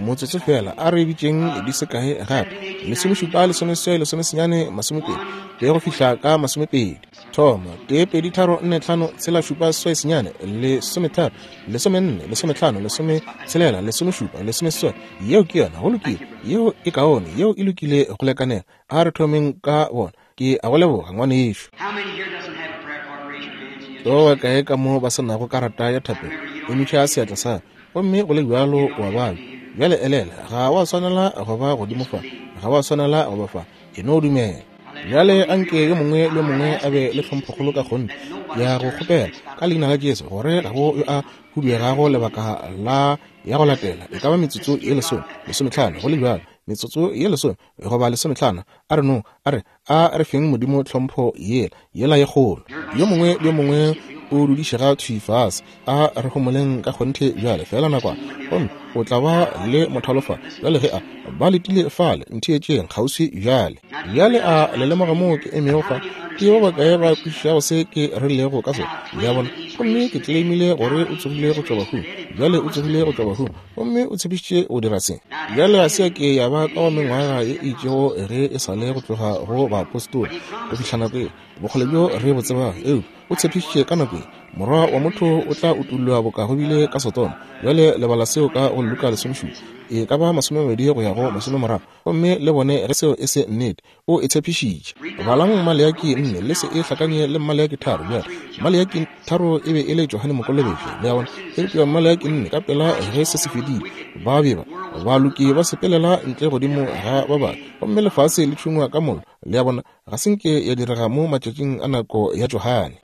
Motsotso fela, a re bitšeng di se kae gape. Lesomešupa, lesomeseswai, lesomesenyane, masomepedi. Tee go fihla ka masomepedi. Thoma, tee, pedi, tharo, nne, hlano, tshela, šupa, seswai, senyane, lesometharo, lesomenne, lesomehlano, lesometshelela, lesomešupa, lesomeseswai. Yeo ke yona. Go lokile. Yeo e kaone. Yeo e lokile go lekanela. A re thomeng ka bona. Ke a go leboga, ngwanešu. Ke ba bakae ka mo ba se nago karata ya thapelo? Emiša seatla sa. Gomme go le bjalo wa babja. Bjale elela, ga wa swanela go ba godimo fa. Ga wa swanela go ba fa. E no dumela. Bjale anke yo mongwe le mongwe a be le tlhomphokgolo ka kgonthe ya go kgopela ka leina la Jesu gore ga go yo a huduegago lebaka la ya go latela. E ka ba metsotso ye lesome, lesomehlano, go le bjalo. Metsotso ye lesome goba lesomehlano. A re no, a re, a re feng Modimo tlhompho yela, yela ye kgolo. Yo mongwe le yo mongwe o dudišega thwi fase. A re homoleng ka kgonthe bjale fela nakwana. Gomme o tla ba le mothalo fa. Bjale ge a ba letile fale, ntheetšeng kgauswi bjale. Bjale a le lemoga moo ke emego fa? Ke ba bakae ba kwešišago se ke rilego ka sona? Le a bona? Gomme ke claimile gore o tsogile go tšwa bahung. Bjale o tsogile go tšwa bahung, gomme o tshepišitše go dira se. Bjale ga se ya ke ya ba ka wa mengwaga ye e itšego ge e sa le go tloga go baapostola go fihla nako ye. Bokgole bjo re bo tsebago, eupša o tshepišitše ka nako ye Morwa wa motho o tla utollwa boka go bile ka Sodoma. Bjale lebala seo ka go Luka lesomešupa, e ka ba masomemabedi go ya go masomemoraro, gomme le bone ge seo e se nnete. O e tshepišitše. Balang Maleaki nne, le se e hlakanye le Maleaki tharo. Bjale Maleaki tharo e be e le Johane Mokolobetši, le a bona. Eupša Maleaki nne, ka pela ge se se fedile, ba be ba baloki ba sepelela ntle godimo ga ba bangwe, gomme lefase le tšhungwa ka mollo. Le a bona, ga se nke ya direga mo matšatšing a nako ya Johane.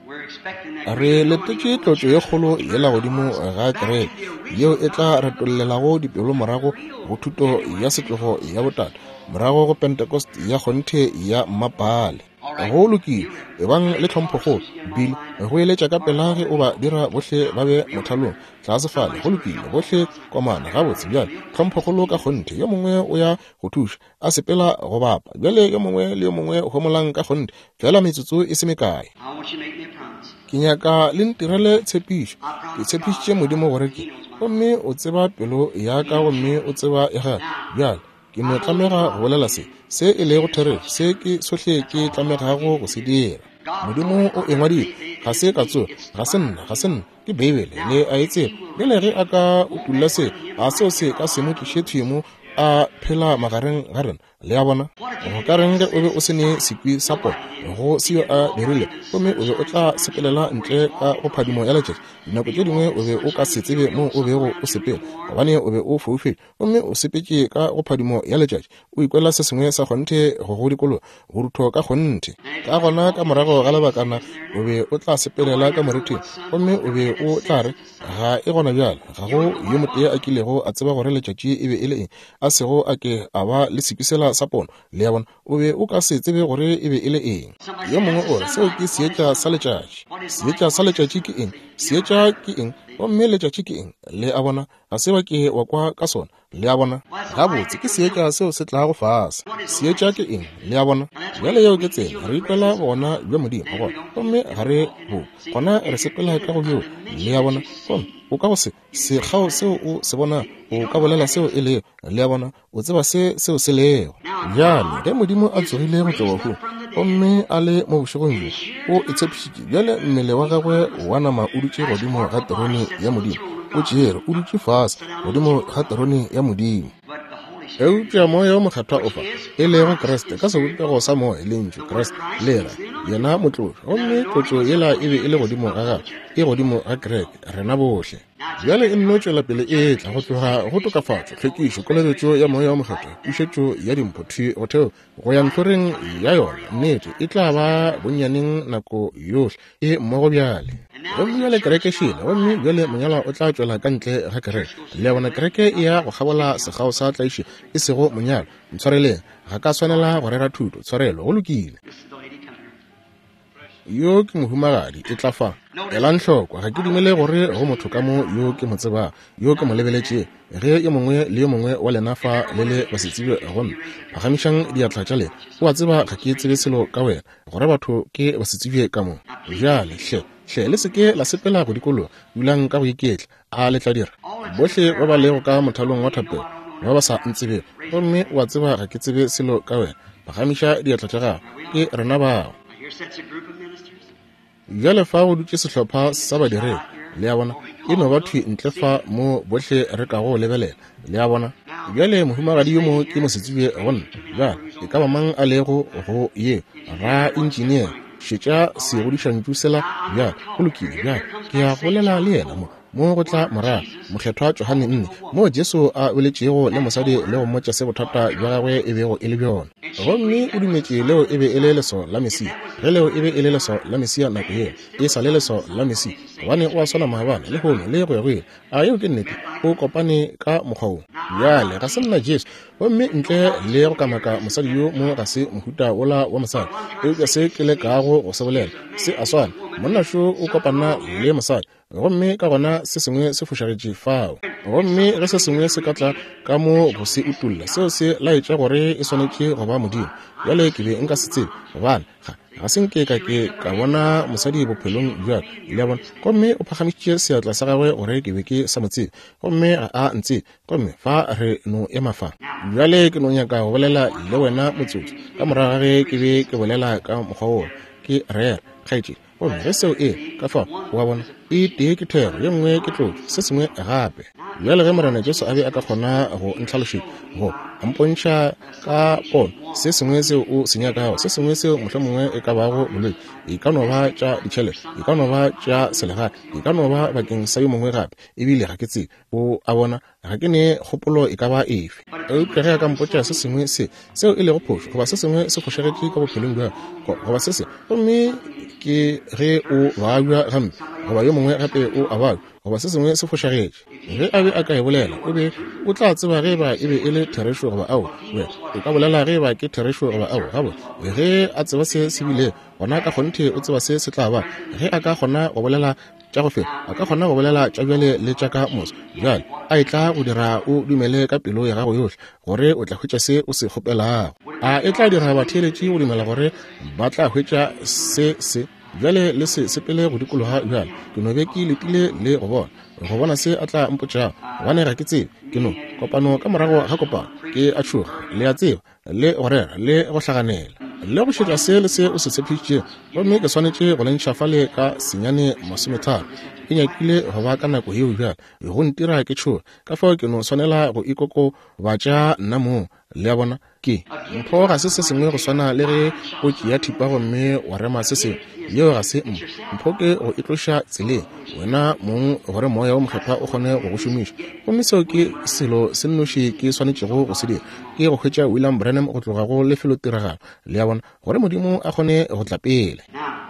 Re letetše tlotšo ye kgolo yela godimo ga kereke, yeo e tla retollelago dipelo morago go thuto ya setlogo ya botate, morago go Pentecost ya kgonthe ya mmapale. Go lokile, ebang le tlhomphokgolo. Bill, go eletša ka pela ge o ba dira bohle ba be mothalong tlase fale. Go lokile, bohle komana gabotse. Bjale tlhomphokgolo ka kgonthe. Yo mongwe o ya go thuša a sepela go bapa. Bjale yo mongwe le yo mongwe homolang ka kgonthe fela metsotso e se mekae. Ke nyaka le ntirele tshepišo. Ke tshepišitše Modimo gore ke, gomme o tseba pelo ya ka gomme o tseba ya gagwe. Bjale ke no tlamega go bolela se, se e lego therešo, se ke sohle ke tlamegago go se dira. Modimo o e ngwadile, ga se ka tsoga, ga se nna, ga se nna, ke Beibele, le a e tseba. Bjale ge a ka utolla se, a seo se ka se mo tliše thwi mo a phela magareng ga rena. Le a bona? Go ka reng ge o be o se ne sekwi sa pono go seo a dirile, gomme o be o tla sepelela ntle ka go phadimo ya letšatši? Dinako tše dingwe o be o ka se tsebe mo o bego o sepela, gobane o be o foufetše, gomme o sepetše ka go phadimo ya letšatši, o ikwela se sengwe sa kgonthe go go dikologa, borutho ka kgonthe. Ka gona ka morago ga lebakana o be o tla sepelela ka morithing, gomme o be o tla re, ga e gona bjale, ga go yo motee a kilego a tseba gore letšatši e be e le eng, a sego a ke a ba le sekwi sela sa pono. Le a bona? O be o ka se tsebe gore e be e le eng. Yo mongwe o re, seo ke seetša sa letšatši. Seetša sa letšatši ke eng? Seetša ke eng? Gomme letšatši ke eng? Le a bona? Ga se ba ke wa kwa ka sona. Le a bona? Gabotse ke seetša seo se tlago fase. Seetša ke eng? Le a bona? Bjale yeo ke tsela re ikwela bogona bja Modimo gona, gomme ga re bo gona, re sepela ka go bjo. Le a bona? Gomme o ka go se sekgao seo o se bona, o ka bolela seo e lego. Le a bona? O tseba se seo se lego. Bjale ge Modimo a tsogile go tšwa bahung gomme a le mo bošegong bjo, o e tshepišitše. Bjale mmele wa gagwe wa nama o dutše godimo ga terone ya Modimo, o tšere o dutše fase godimo ga terone ya Modimo. Eupša Moya o Mokgethwa o fa, e lego Kriste ka sebopego sa Moya, lentšu Kriste le ra Yena motlotšwa. Gomme tlotšo yela e be e le godimo ga gagwe, e godimo ga kereke, rena bohle. Bjale e nno tšwela pele e tla go tloga go tokafatšo, tlhwekišo, kolobetšo ya Moya wo Mokgethwa, pušetšo ya dimpho thwi go theo go ya ntlhoreng ya yona. Nnete e tla ba bonnyaneng nako yohle e mmogo bjale. Gomme bjale kereke šele, gomme bjale monyalwa o tla tšwela ka ntle ga kereke. Le a bona, kereke e ya go kgabola sekgao sa tlaišo, e sego monyalwa. Ntshwareleng, ga ka swanela go rera thuto. Tshwarelo, go lokile. Yo ke mohumagadi, e tla fa. Elang hloko, ga ke dumele gore go motho ka mo yo ke mo tsebago, yo ke mo lebeletšego. Ge yo mongwe le yo mongwe wa lena fa le le basetsebje go nna, phagamišang diatla tša lena. O a tseba ga ke tsebe selo ka wena, gore batho ke basetsebje ka mo. Bjale hle, hle le seke la sepela go dikologa, dulang ka go iketla. A le tla dira? Bohle ba ba lego ka mothalong wa thapelo, ba ba sa ntsebego, gomme o a tseba ga ke tsebe selo ka wena, phagamiša diatla tša gago. Ke rena bao. Bjale fa go dutše sehlopha sa badiredi, le a bona, e no ba thwi ntle fa mo bohle re kago lebelela, le a bona. Bjale mohumagadi yo mo ke mosetsebje go nna. Bjale e ka ba mang a lego go ye ra engineer, šetša segodišantšu sela. Bjale go lokile. Bjale ke ya go bolela le yena mo mo go tla morago Mokgethwa Johane nne, moo Jesu a boletšego le mosadi le go mmotša se bothata bja gagwe e bego e le bjona. Gomme o dumetše leo e be e le leswao la Mesia. Ge leo e be e le leswao la Mesia nako yeo, e sa le leswao la Mesia, gobane o a swana maabane, lehono le go ya go ile. A yeo ke nnete? O kopane ka mokgwa wo. Bjale ga se nna Jesu, gomme ntle le go kamaka mosadi yo mo ga se mohuta wola wa mosadi, eupša se ke lekago go se bolela se a swana. Monna šo o kopana le mosadi, gomme ka gona se sengwe se fošagetše fao. Gomme ge se sengwe se ka tla ka mo go se utolla, seo se laetša gore e swanetše go ba Modimo. Bjale ke be nka se tsebe, gobane ga ga se nke ka ke ka bona mosadi bophelong bja ka, le a bona. Gomme o phagamišitše seatla sa gagwe gore ke be ke sa mo tsebe, gomme ga a ntsebe. Gomme fa re no ema fa. Bjale ke no nyaka go bolela le wena motsotso, ka morago ga ge ke be ke bolela ka mokgwa wola, ke rera, kgaetšedi. Gomme ge seo e ka fao, wa bona, e tee ke thero, ye nngwe ke tlotšo, se sengwe gape. Bjale ge Morena Jesu a be a ka kgona go ntlhalošetša, go mpontšha ka pono se sengwe seo o se nyakago, se sengwe seo mohlomongwe e ka bago bolwetši, e ka no ba tša ditšhelete, e ka no ba tša selegae, e ka no ba bakeng sa yo mongwe gape, ebile ga ke tsebe. O a bona, ga ke ne kgopolo e ka ba efe. Eupša ge a ka mpotša se sengwe se seo e lego phošo, goba se sengwe se fošagetše ka bophelong bja gago, goba se se, gomme ke ge o babja gampe, goba yo mongwe gape o a babja, goba se sengwe se fošagetše, ge a be a ka e bolela, o be o tla tseba ge ba e be e le therešo goba ao. Wena o ka bolela ge ba ke therešo goba ao. Gabotse, ge a tseba se se bile, gona ka kgonthe o tseba se se tla ba. Ge a ka kgona go bolela tša go feta, a ka kgona go bolela tša bjale le tša ka moso. Bjale a e tla go dira o dumele ka pelo ya gago yohle gore o tla hwetša se o se kgopelago. A e tla dira batheeletši go dumela gore ba tla hwetša se se. Bjale le se sepele go dikologa bjale. Ke no be ke letile le go bona, go bona se a tla mpotšago, gobane ga ke tsebe. Ke no kopano ka morago ga kopano, ke a tšhoga, le a tseba, le go rera le go hlaganela le go šetša se le se o se tshepišitšego. Gomme ke swanetše go le ntšha fale ka senyane masometharo. E nyakile go ba ka nako yeo bjale, go ntira ke tšhoga. Ka fao ke no swanela go ikokobatša nna mong, le a bona. Ke mpho ga se se sengwe go swana le ge o tšea thipa gomme wa rema se sengwe. Yeo ga se mpho. Mpho ke go itloša tseleng wena mong gore Moya wo Mokgethwa o kgone go go šomiša. Gomme seo ke selo se nnoši ke swanetšego go se dira, ke go hwetša William Branham go tloga go lefelotiragalo, le a bona, gore Modimo a kgone go tla pele.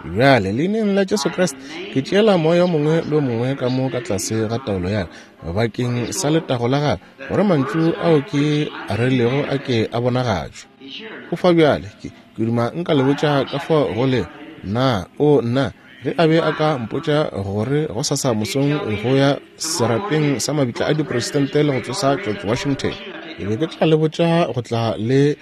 Bjale leineng la Jesu Kriste ke tšeela moya o mongwe le o mongwe ka mo ka tlase ga taolo ya ka bakeng sa letago la gagwe, gore mantšu ao ke a rerilego a ke a bonagatšwe. O fa bjale, ke ke duma nka le botša ka fao go le nna, o nna, ge a be a ka mpotša gore go sasa mosong go ya serapeng sa mabitla a dipresidente le go tsosa George Washington, ke be ke tla le botša go tla le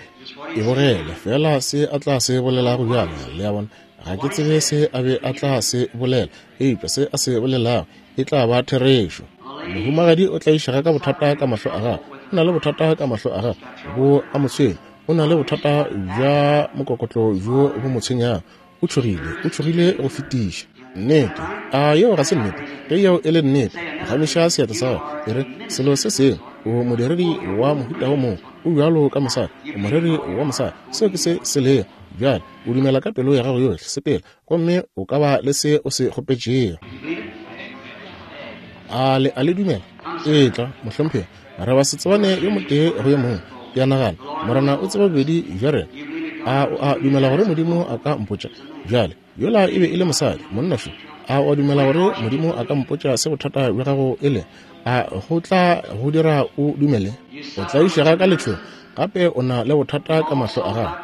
e bogele fela se a tla se bolelago bjale, le a bona. Ga ke tsebe se a be a tla se bolela, eupša se a se bolelago e tla ba therešo. Mohumagadi o tlaišega ka bothata ka mahlo a gagwe. O na le bothata ka mahlo a gagwe, bo a mo tshwenya. O na le bothata bja mokokotlo bjo bo mo tshwenyago. O tšhogile, o tšhogile go fetiša. Nnete, a yeo ga se nnete? Ge yeo e le nnete, phagamiša seatla sa gago, e re selo se sengwe. O modiredi wa mohuta wo mongwe, o bjalo ka mosadi, o moreri wa mosadi. Seo ke se se lego. Bjale o dumela ka pelo ya gago yohle, sepela, gomme o ka ba le se o se kgopetšego. A le a le dumela? Etla, mohlomphegi, re ba se tsebane yo motee go yo mongwe. Ke a nagana Morena o tseba bobedi bja rena. A o a dumela gore Modimo a ka mpotša? Bjale yola e be e le mosadi, monna šo. A o a dumela gore Modimo a ka mpotša se bothata bja gago e le? A go tla go dira o dumele? O tlaišega ka letšhogo, gape o na le bothata ka mahlo a gago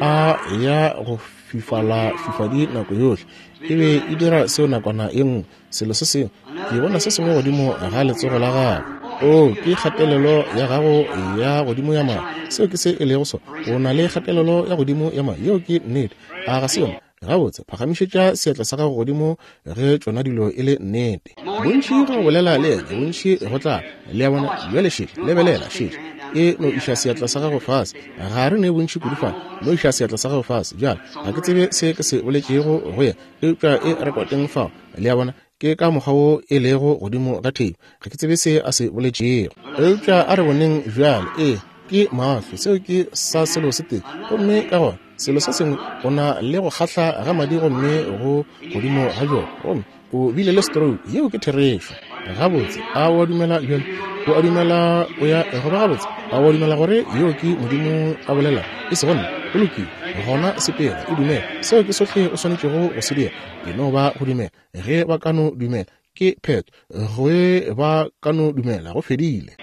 a ya go fifala fifadi nako yohle. E be e dira seo nakwana e nngwe, selo se sengwe. Ke bona se sengwe godimo ga letsogo la gago. O, ke kgatelelo ya gago ya godimo ya madi. Seo ke se e lego sona. O na le kgatelelo ya godimo ya madi. Yeo ke nnete. A ga se yona? Gabotse, phagamišetša seatla sa gago godimo ge tšona dilo e le nnete. Bontši go bolela le yena, bontši go tla. Le a bona? Bjale šetše, lebelela, šetše. E no iša seatla sa gago fase. Ga re ne bontši kudu fale. No iša seatla sa gago fase. Bjale, ga ke tsebe se ke se boletšego go yena, eupša e rekoteng fao. Le a bona? Ke ka mokgwa wo e lego godimo ga theipi. Ga ke tsebe se a se boletšego, eupša a re boneng bjale. Ee, ke mahlo. Seo ke sa selo se tee. Gomme ka gona selo se sengwe, o na le go kgahla ga madi gomme go godimo ga bjona, gomme o bile le stroke. Yeo ke therešo. Gabotse, a o a dumela bjale? O a dumela o ya go ba gabotse? A o a dumela gore yeo ke Modimo a bolela, e sego nna? Go lokile, gona sepela, o dumela. Seo ke sohle o swanetšego go se dira. E no ba go dumela. Ge ba ka no dumela, ke phetho. Ge ba ka no dumela, go fedile.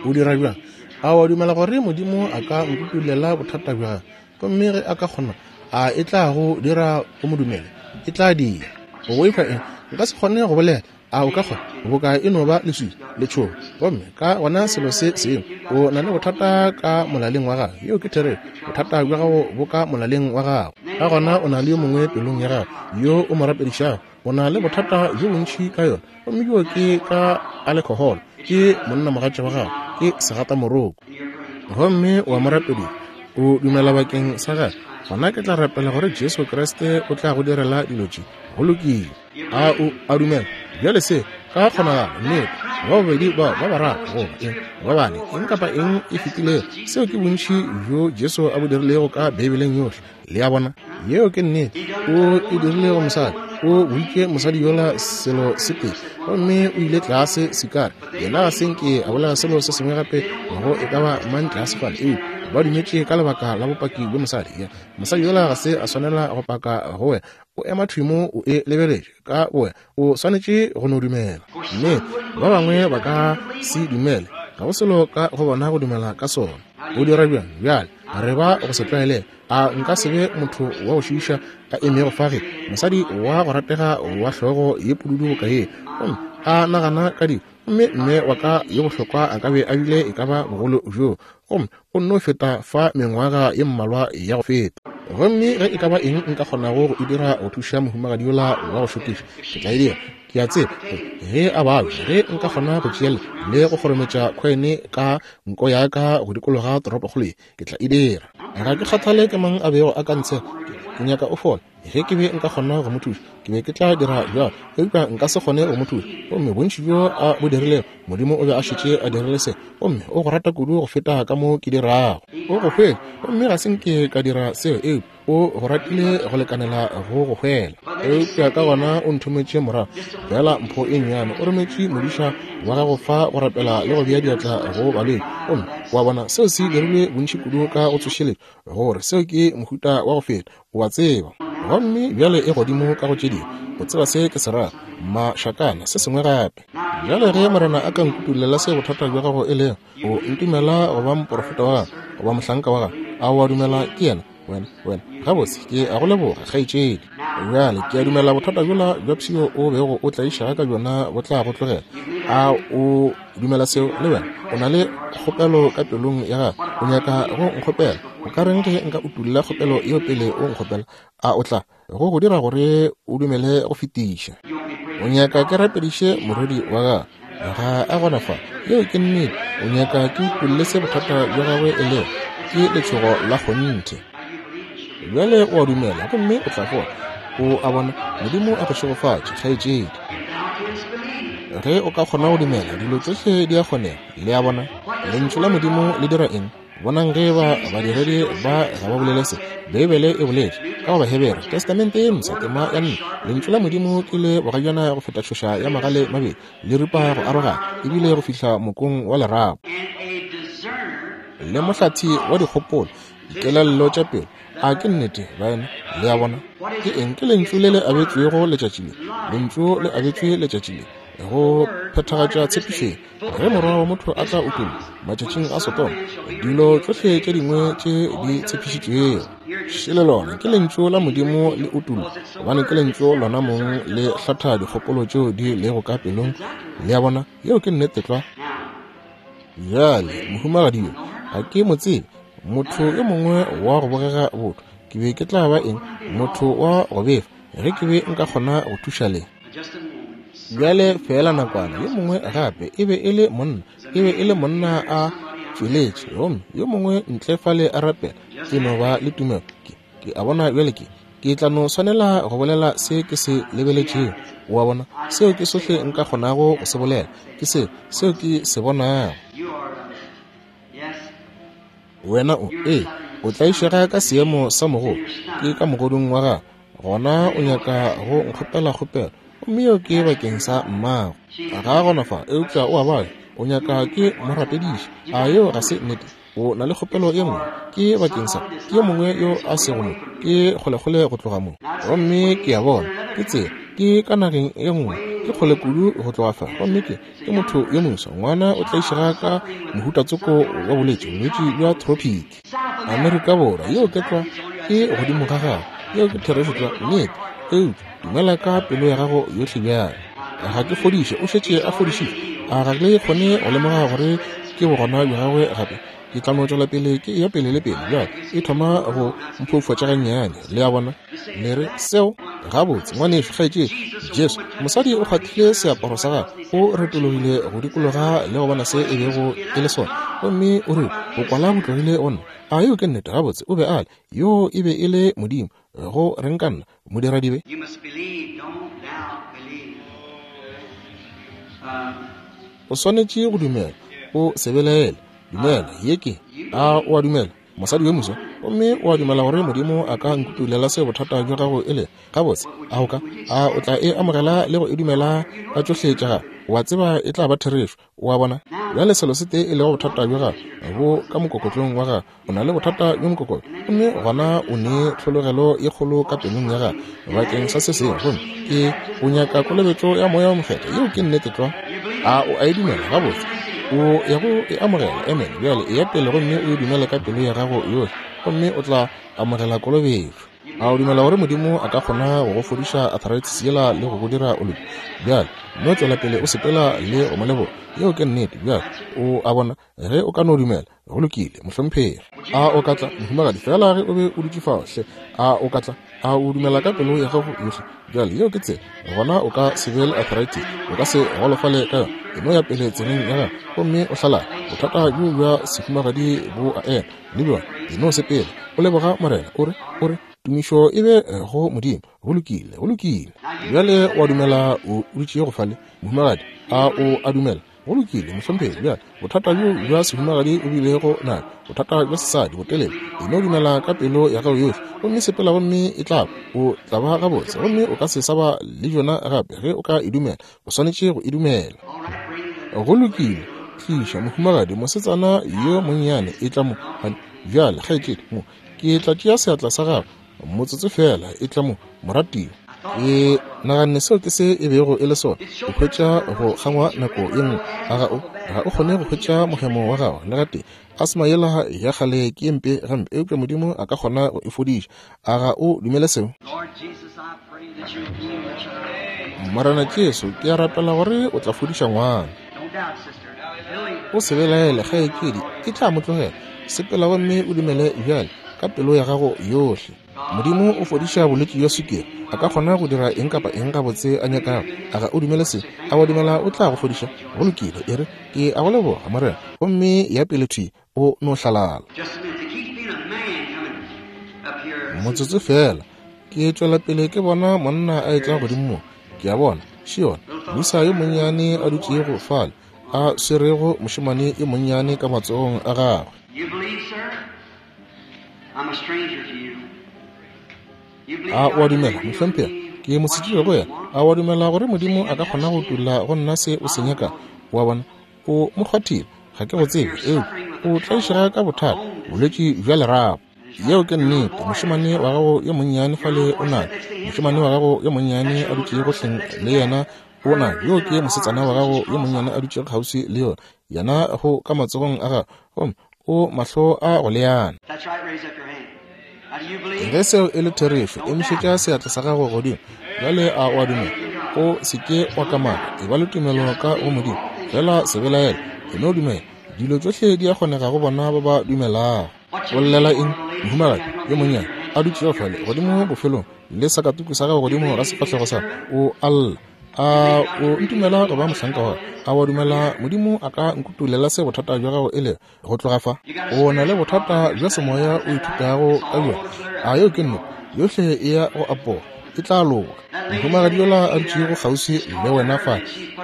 O dira bjang? A o a dumela gore Modimo a ka nkutulela bothata bja gago? Gomme ge a ka kgona, a e tla go dira o mo dumele? E tla dira. O boifa eng? Nka se kgone go bolela. A o ka kgona? Boka e no ba leswiswi, letšhogo. Gomme ka gona selo se sengwe, o na le bothata ka molaleng wa gago. Yeo ke therešo. Bothata bja gago bo ka molaleng wa gago. Ka gona o na le yo mongwe pelong ya gago yo o mo rapedišago. O na le bothata bjo bontši ka yona, gomme bjo ke ka alekhoholo. Ke monnamogatša wa gago, ke segatamoroko, gomme wa mo rapediša. O dumela bakeng sa gagwe. Gona ke tla rapela gore Jesu Kriste o tla go direla dilo tše. Go lokile. A o a dumela? Bjale se ka kgonagalo, nnete, ba babedi bao ba bararo goba eng ba bane, eng kapa eng e fetilego, seo ke bontši bjo Jesu a bo dirilego ka Beibeleng yohle. Le a bona? Yeo ke nnete. O e dirile go mosadi. O boditše mosadi yola selo se tee, gomme o ile tlase sikare. Yena ga se nke a bolela selo se sengwe gape go e ka ba mang tlase fale, eupša ba dumetše ka lebaka la bopaki bja mosadi. Ya, mosadi yola ga se a swanela go paka go wena. O ema thwi mo o e lebeletše ka wena. O swanetše go no dumela. Mme ba bangwe ba ka se dumele. Ga go selo ka go bona go dumela ka sona. O dira bjang? Bjale re ba go se tlwaelege. A nka se be motho wa go šiiša a emego fa ge mosadi wa go ratega wa hlogo ye pududu boka ye, gomme a nagana ka dilo, gomme mme wa ka yo bohlokwa a ka be a bile e ka ba bogolo bjo, gomme o nno feta fa mengwaga ye mmalwa ya go feta. Gomme ge e ka ba eng nka kgonago go e dira go thuša mohumagadi yola wa go šokiša, ke tla e dira. Ke a tseba ge a babja, ge nka kgona go tšea le go kgorometša khwene ka nko ya ka go dikologa toropokgolo ye, ke tla e dira. Ga ke kgathale ke mang a bego a ka ntshega, ke nyaka o fola. Ge ke be nka kgona go mo thuša, ke be ke tla dira bjalo, eupša nka se kgone go mo thuša. Gomme bontši bjo a bo dirilego, Modimo o be a šetše a dirile se, gomme o go rata kudu go feta ka mo ke dirago. O go hwele, gomme ga se nke ka dira seo, eupša o go ratile go lekanela go go hwela. Eupša ka gona o nthometše morago fela mpho e nnyane. O rometše modiša wa gago fa go rapela le go bea diatla go balwetši, gomme wa bona seo se dirilwe bontši kudu ka go tsošeletšwa, gore seo ke mohuta wa go feta, o a tseba. Gomme bjale e godimo ka go tše dingwe. O tseba se ke se rago, mašakana, se sengwe gape. Bjale ge Morena a ka nkutulela se bothata bja gago e lego, o ntumela go ba moporofeta wa gago, goba mohlanka wa gago? A o a dumela ke yena? Wena, wena, gabotse, ke a go leboga, kgaetšedi. Bjale ke a dumela bothata bjola bja pshio o bego o tlaišega ka bjona bo tla go tlogela. A o dumela seo le wena? O na le kgopelo ka pelong ya gago, o nyaka go nkgopela. O ka reng ge nka utulla kgopelo yeo pele o nkgopela? A o tla go go dira gore o dumele go fetiša? O nyaka ke rapediše morwedi wa gago? Ga a gona fa. Yeo ke nnete. O nyaka ke utulle se bothata bja gagwe e lego? Ke letšhogo la kgonthe. Bjale o a dumela, gomme o tla fola. O a bona? Modimo a go šegofatše, kgaetšedi. Ge o ka kgona go dumela, dilo tšohle di a kgonega. Le a bona? Lentšu la Modimo le dira eng? Bonang ge ba badiredi ba ga ba bolele se. Beibele e boletše ka go Bahebere, Testamente ye Mpsha, tema ya nne, Lentšu la Modimo ke le bogajana go feta tšhoša ya magale mabedi, le ripa go arogana, ebile go fihla mokong wa lerapo, le mohlathi wa dikgopolo, dikelello tša pelo. A ke nnete, baena? Le a bona? Ke eng? Ke lentšu le le abetšwego letšatši le. Lentšu le abetšwe letšatši le go phethagatša tshepišo. Ge morwa wa motho a tla utollwa matšatšing a Sodoma, dilo tšohle tše dingwe tše di tshepišitšwego. Šele lona ke lentšu la Modimo le utollwa, gobane ke lentšu lona mong le hlatha dikgopolo tšeo di lego ka pelong. Le a bona? Yeo ke nnete tlwa. Bjale, mohumagadi yo ga ke mo tsebe, motho yo mongwe wa go bogega botho. Ke be ke tla ba eng? Motho wa go befa, ge ke be nka kgona go thuša le. Bjale fela nakwana, yo mongwe gape e be e le monna, e be e le monna a tšweletše, gomme yo mongwe ntle fale a rapela. Ke no ba le tumelo. Ke, ke a bona bjale ke, ke tla no swanela go bolela se ke se lebeletšego. O a bona? Seo ke sohle nka kgonago go se bolela, ke se, seo ke se bonago. Wena o, ee, o tlaišega ka seemo sa mogodu, ke ka mogodung wa gago, gona o nyaka go nkgopela kgopelo, gomme yeo ke bakeng sa mmago. Ga gona fa, eupša o a bala, o nyaka ke mo rapediše. A yeo ga se nnete? O na le kgopelo ye nngwe, ke bakeng sa ke yo mongwe yo a sego mo, ke kgolekgole go tloga mo. Gomme ke a bona, ke tsela, ke ka nageng ye nngwe, ke kgole kudu go tloga fa. Gomme ke, ke motho yo moswa, ngwana o tlaišega ka mohutatsoko wa bolwetši, bolwetši bja tropic. Amerika Borwa, yeo ke tlwa, ke godimo ga gago, yeo ke therešo tlwa, nnete. Eupša dumela ka pelo ya gago yohle bjale. Ga ke fodiše, o šetše a fodišitšwe. A ga le kgone go lemoga gore ke bogona bja gagwe gape? Ke tla no tšwela pele ke eya pele le pele. Bjale e thoma go mphoufatša gannyane. Le a bona? Le re seo gabotse, ngwanešu, kgaetšedi. Jesu, mosadi o kgwathile seaparo sa gagwe, o retologile go dikologa le go bona se e bego e le sona, gomme o rile, o kwala bo tlogile go nna. A yeo ke nnete? Gabotse, o be a le yo, e be e le Modimo. Go reng ka nna, modiradibe? O swanetše go dumela, o se belaele. Dumela, ye ke. A o a dumela, mosadi yo moswa? Gomme o a dumela gore Modimo a ka nkutulela se bothata bja gago e le? Gabotse, a o ka, a o tla e amogela le go e dumela ka tšohle tša gago? O a tseba e tla ba therešo. O a bona? Bjale selo se tee e lego bothata bja gago bo ka mokokotlong wa gago. O na le bothata bjo mokokotlo, gomme gona o ne tlhologelo ye kgolo ka pelong ya gago bakeng sa se sengwe, gomme ke o nyaka kolobetšo ya Moya wo Mokgethwa. Yeo ke nnete tlwa. A o a e dumela? Gabotse, o ya go e amogela. Amen. Bjale e ya pele gomme o e dumele ka pelo ya gago yohle, gomme o tla amogela kolobetšo. A o dumela gore Modimo a ka kgona go go fodiša arthritis yela le go go dira o loke? Bjale no tšwela pele o sepela le go mo leboga. Yeo ke nnete. Bjale o a bona, ge o ka no dumela, go lokile, mohlomphegi. A o ka tla, mohumagadi, fela ge o be o dutše fao hle? A o ka tla? A o dumela ka pelo ya gago yohle? Bjale yeo ke tsela. Gona o ka se be le arthritis, o ka se golofale ka yona. E no ya pele tseleng ya gago gomme o hlalale. Bothata bjo bja sehumagadi bo a ema le bjona. E no sepela o leboga Morena, o re, o re, tumišo e be go Modimo. Go lokile, go lokile. Bjale o a dumela o dutše go fale, mohumagadi? A o a dumela? Go lokile, mohlomphegi. Bjale bothata bjo bja sehumagadi o bilego nayo, bothata bja sesadi botelele, e no dumela ka pelo ya gago yohle gomme sepela, gomme e tla ba, o tla ba gabotse, gomme o ka se sa ba le bjona gape ge o ka e dumela. O swanetše go e dumela. Go lokile, tliša mohumagadi, mosetsana yo monnyane, e tla mo. Bjale kgaetšedi mo, ke tla tšea seatla sa gago motsotso fela. E tla mo, moratiwa. Ke naganne seo ke se e bego e le sona. O hwetša go kgangwa nako ye nngwe, a ga o, ga o kgone go hwetša mohemo wa gago le gatee. Asma yela ya kgale ke ye mpe gampe, eupša Modimo a ka kgona go e fodiša. A ga o dumele seo? Morena Jesu, ke a rapela gore o tla fodiša ngwana. O se belaele, kgaetšedi, e tla mo tlogela. Sepela gomme o dumele bjale ka pelo ya gago yohle. Modimo o fodiša bolwetši bja sukiri. A ka kgona go dira eng kapa eng gabotse a nyakago. A ga o dumele se? A wa dumela o tla go fodiša? Go lokile, e re, ke a go leboga, Morena. Gomme ya pele thwi, o no hlalala. Motsotso fela, ke tšwela pele ke bona monna a etla godimo mo. Ke a bona Še yona, moisa yo monnyane a dutšego fale, a swerego mošemane yo monnyane ka matsogong a gagwe. A o a dumela, mohlomphegi? Ke mosetsebje go wena. A o a dumela gore Modimo a ka kgona go utolla go nna se o se nyakago? O a bona, o mo kgwathile. Ga ke go tsebe, eupša o tlaišega ka bothata, bolwetši bja lerapo. Yeo ke nnete. Mošemane wa gago yo monnyane fale o na, mošemane wa gago yo monnyane a dutšego hleng le yena o na, yo ke mosetsana wa gago yo monnyane a dutšego kgauswi le yona, yena go ka matsogong a gago, gomme o mahlo a go leana. Ge seo e le therešo, emišetša seatla sa gago godimo. Bjale a o a dumela? O se ke wa kamaka, eba le tumelo ka go Modimo. Fela se belaele, e no dumela. Dilo tšohle di a kgonega go bona ba ba dumelago. O llela eng, mohumagadi yo monnyane a dutšego fale godimo bofelong le sakatuku sa gago godimo ga sefahlego sa o a lla? A o ntumela go ba mohlanka wa? A wa dumela Modimo a ka nkutulela se bothata bja gago e lego go tloga fa? O na le bothata bja semoya o ithutago ka bjona. A yeo ke nnete? Yohle e ya go apoga, e tla loka. Mohumagadi yola a dutšego kgauswi le wena fa,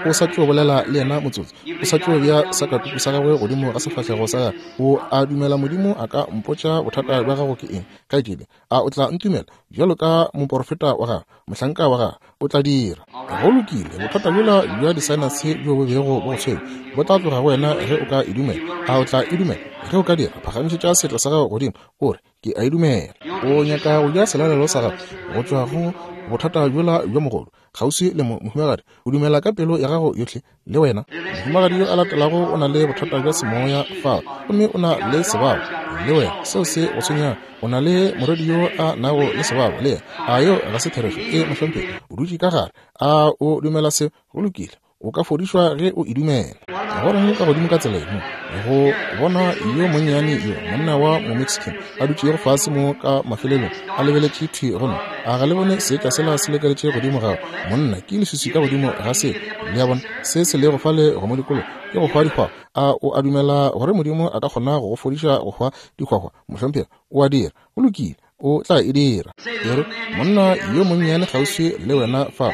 o sa tšo bolela le yena motsotso, o sa tšo bja sakatuku sa gagwe godimo ga sefahlego sa gagwe. O a dumela Modimo a ka mpotša bothata bja gago ke eng, kgaetšedi? A o tla ntumela bjalo ka moporofeta wa gagwe, mohlanka wa gagwe? O tla dira. Go lokile. Bothata bjola bja disaenase bjo bo bego bo go tshwenya bo tla tloga go wena ge o ka e dumela. A o tla e dumela? Ge o ka dira, phagamišetša seatla sa gago godimo, o re, ke a e dumela. O nyaka go ja selalelo sa gago go tšwa go bothata bjola bjo mogolo kgauswi le mo, mohumagadi. O dumela ka pelo ya gago yohle, le wena. Mohumagadi yo a latelago o na le bothata bja semoya fao, gomme o na le sebabo, le wena. Seo se go tshwenyang. O na le morwedi yo a nago le sebabo, le yena. A yeo ga se therešo? E, mohlomphegi, o dutše ka gare. A o dumela se? Go lokile. O ka fodišwa ge o e dumela. Goreng ka godimo ka tsela mo, go bona yo monnyane yo, monna wa mo-Mexican a dutšego fase mo ka mafelelong, a lebeletše thwi go nna. A ga le bone seetša sela se lekeletše godimo gago? Monna, ke leswiswi ka godimo ga se. Le a bona se se lego fale go mo dikolo ke go hwa dihwahwa. A o a dumela gore Modimo a ka kgona go go fodiša go hwa dihwahwa? Mohlomphegi, o a dira. Go lokile, o tla e dira. E re, monna yo monnyane kgauswi le wena fa,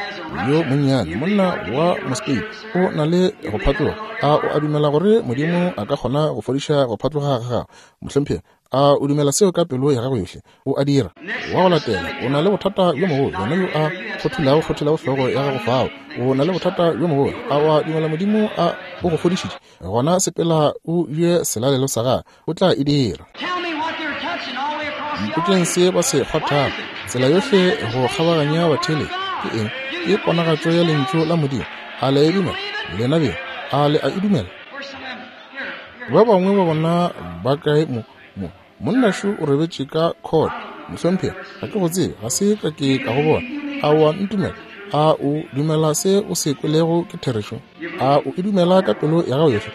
yo monnyane monna wa Mospain, o na le go phatloga. A o a dumela gore Modimo a ka kgona go fodiša go phatloga ga gago? Mohlomphegi, a o dumela seo ka pelo ya gago yohle? O a dira. Wa go latela, o na le bothata bjo mogolo, yena yo a kgothulago kgothulago hlogo ya gago fao. O na le bothata bjo mogolo. A o a dumela Modimo a o go fodišitše? Gona sepela o je selalelo sa gagwe, o tla e dira. Mpotšeng se ba se kgwathago tsela yohle go kgabaganya batheeletši ke eng? Ke ponagatšo ya lentšu la Modimo. A le a e dumela? Lena beng, a le a e dumela? Ba bangwe ba bona ba kae mo? Mo monnašu o robetše ka court. Mohlomphegi, ga ke go tsebe, ga se ka ke ka go bona. A o a ntumela? A o dumela se o se kwelego ke therešo? A o e dumela ka pelo ya gago yohle?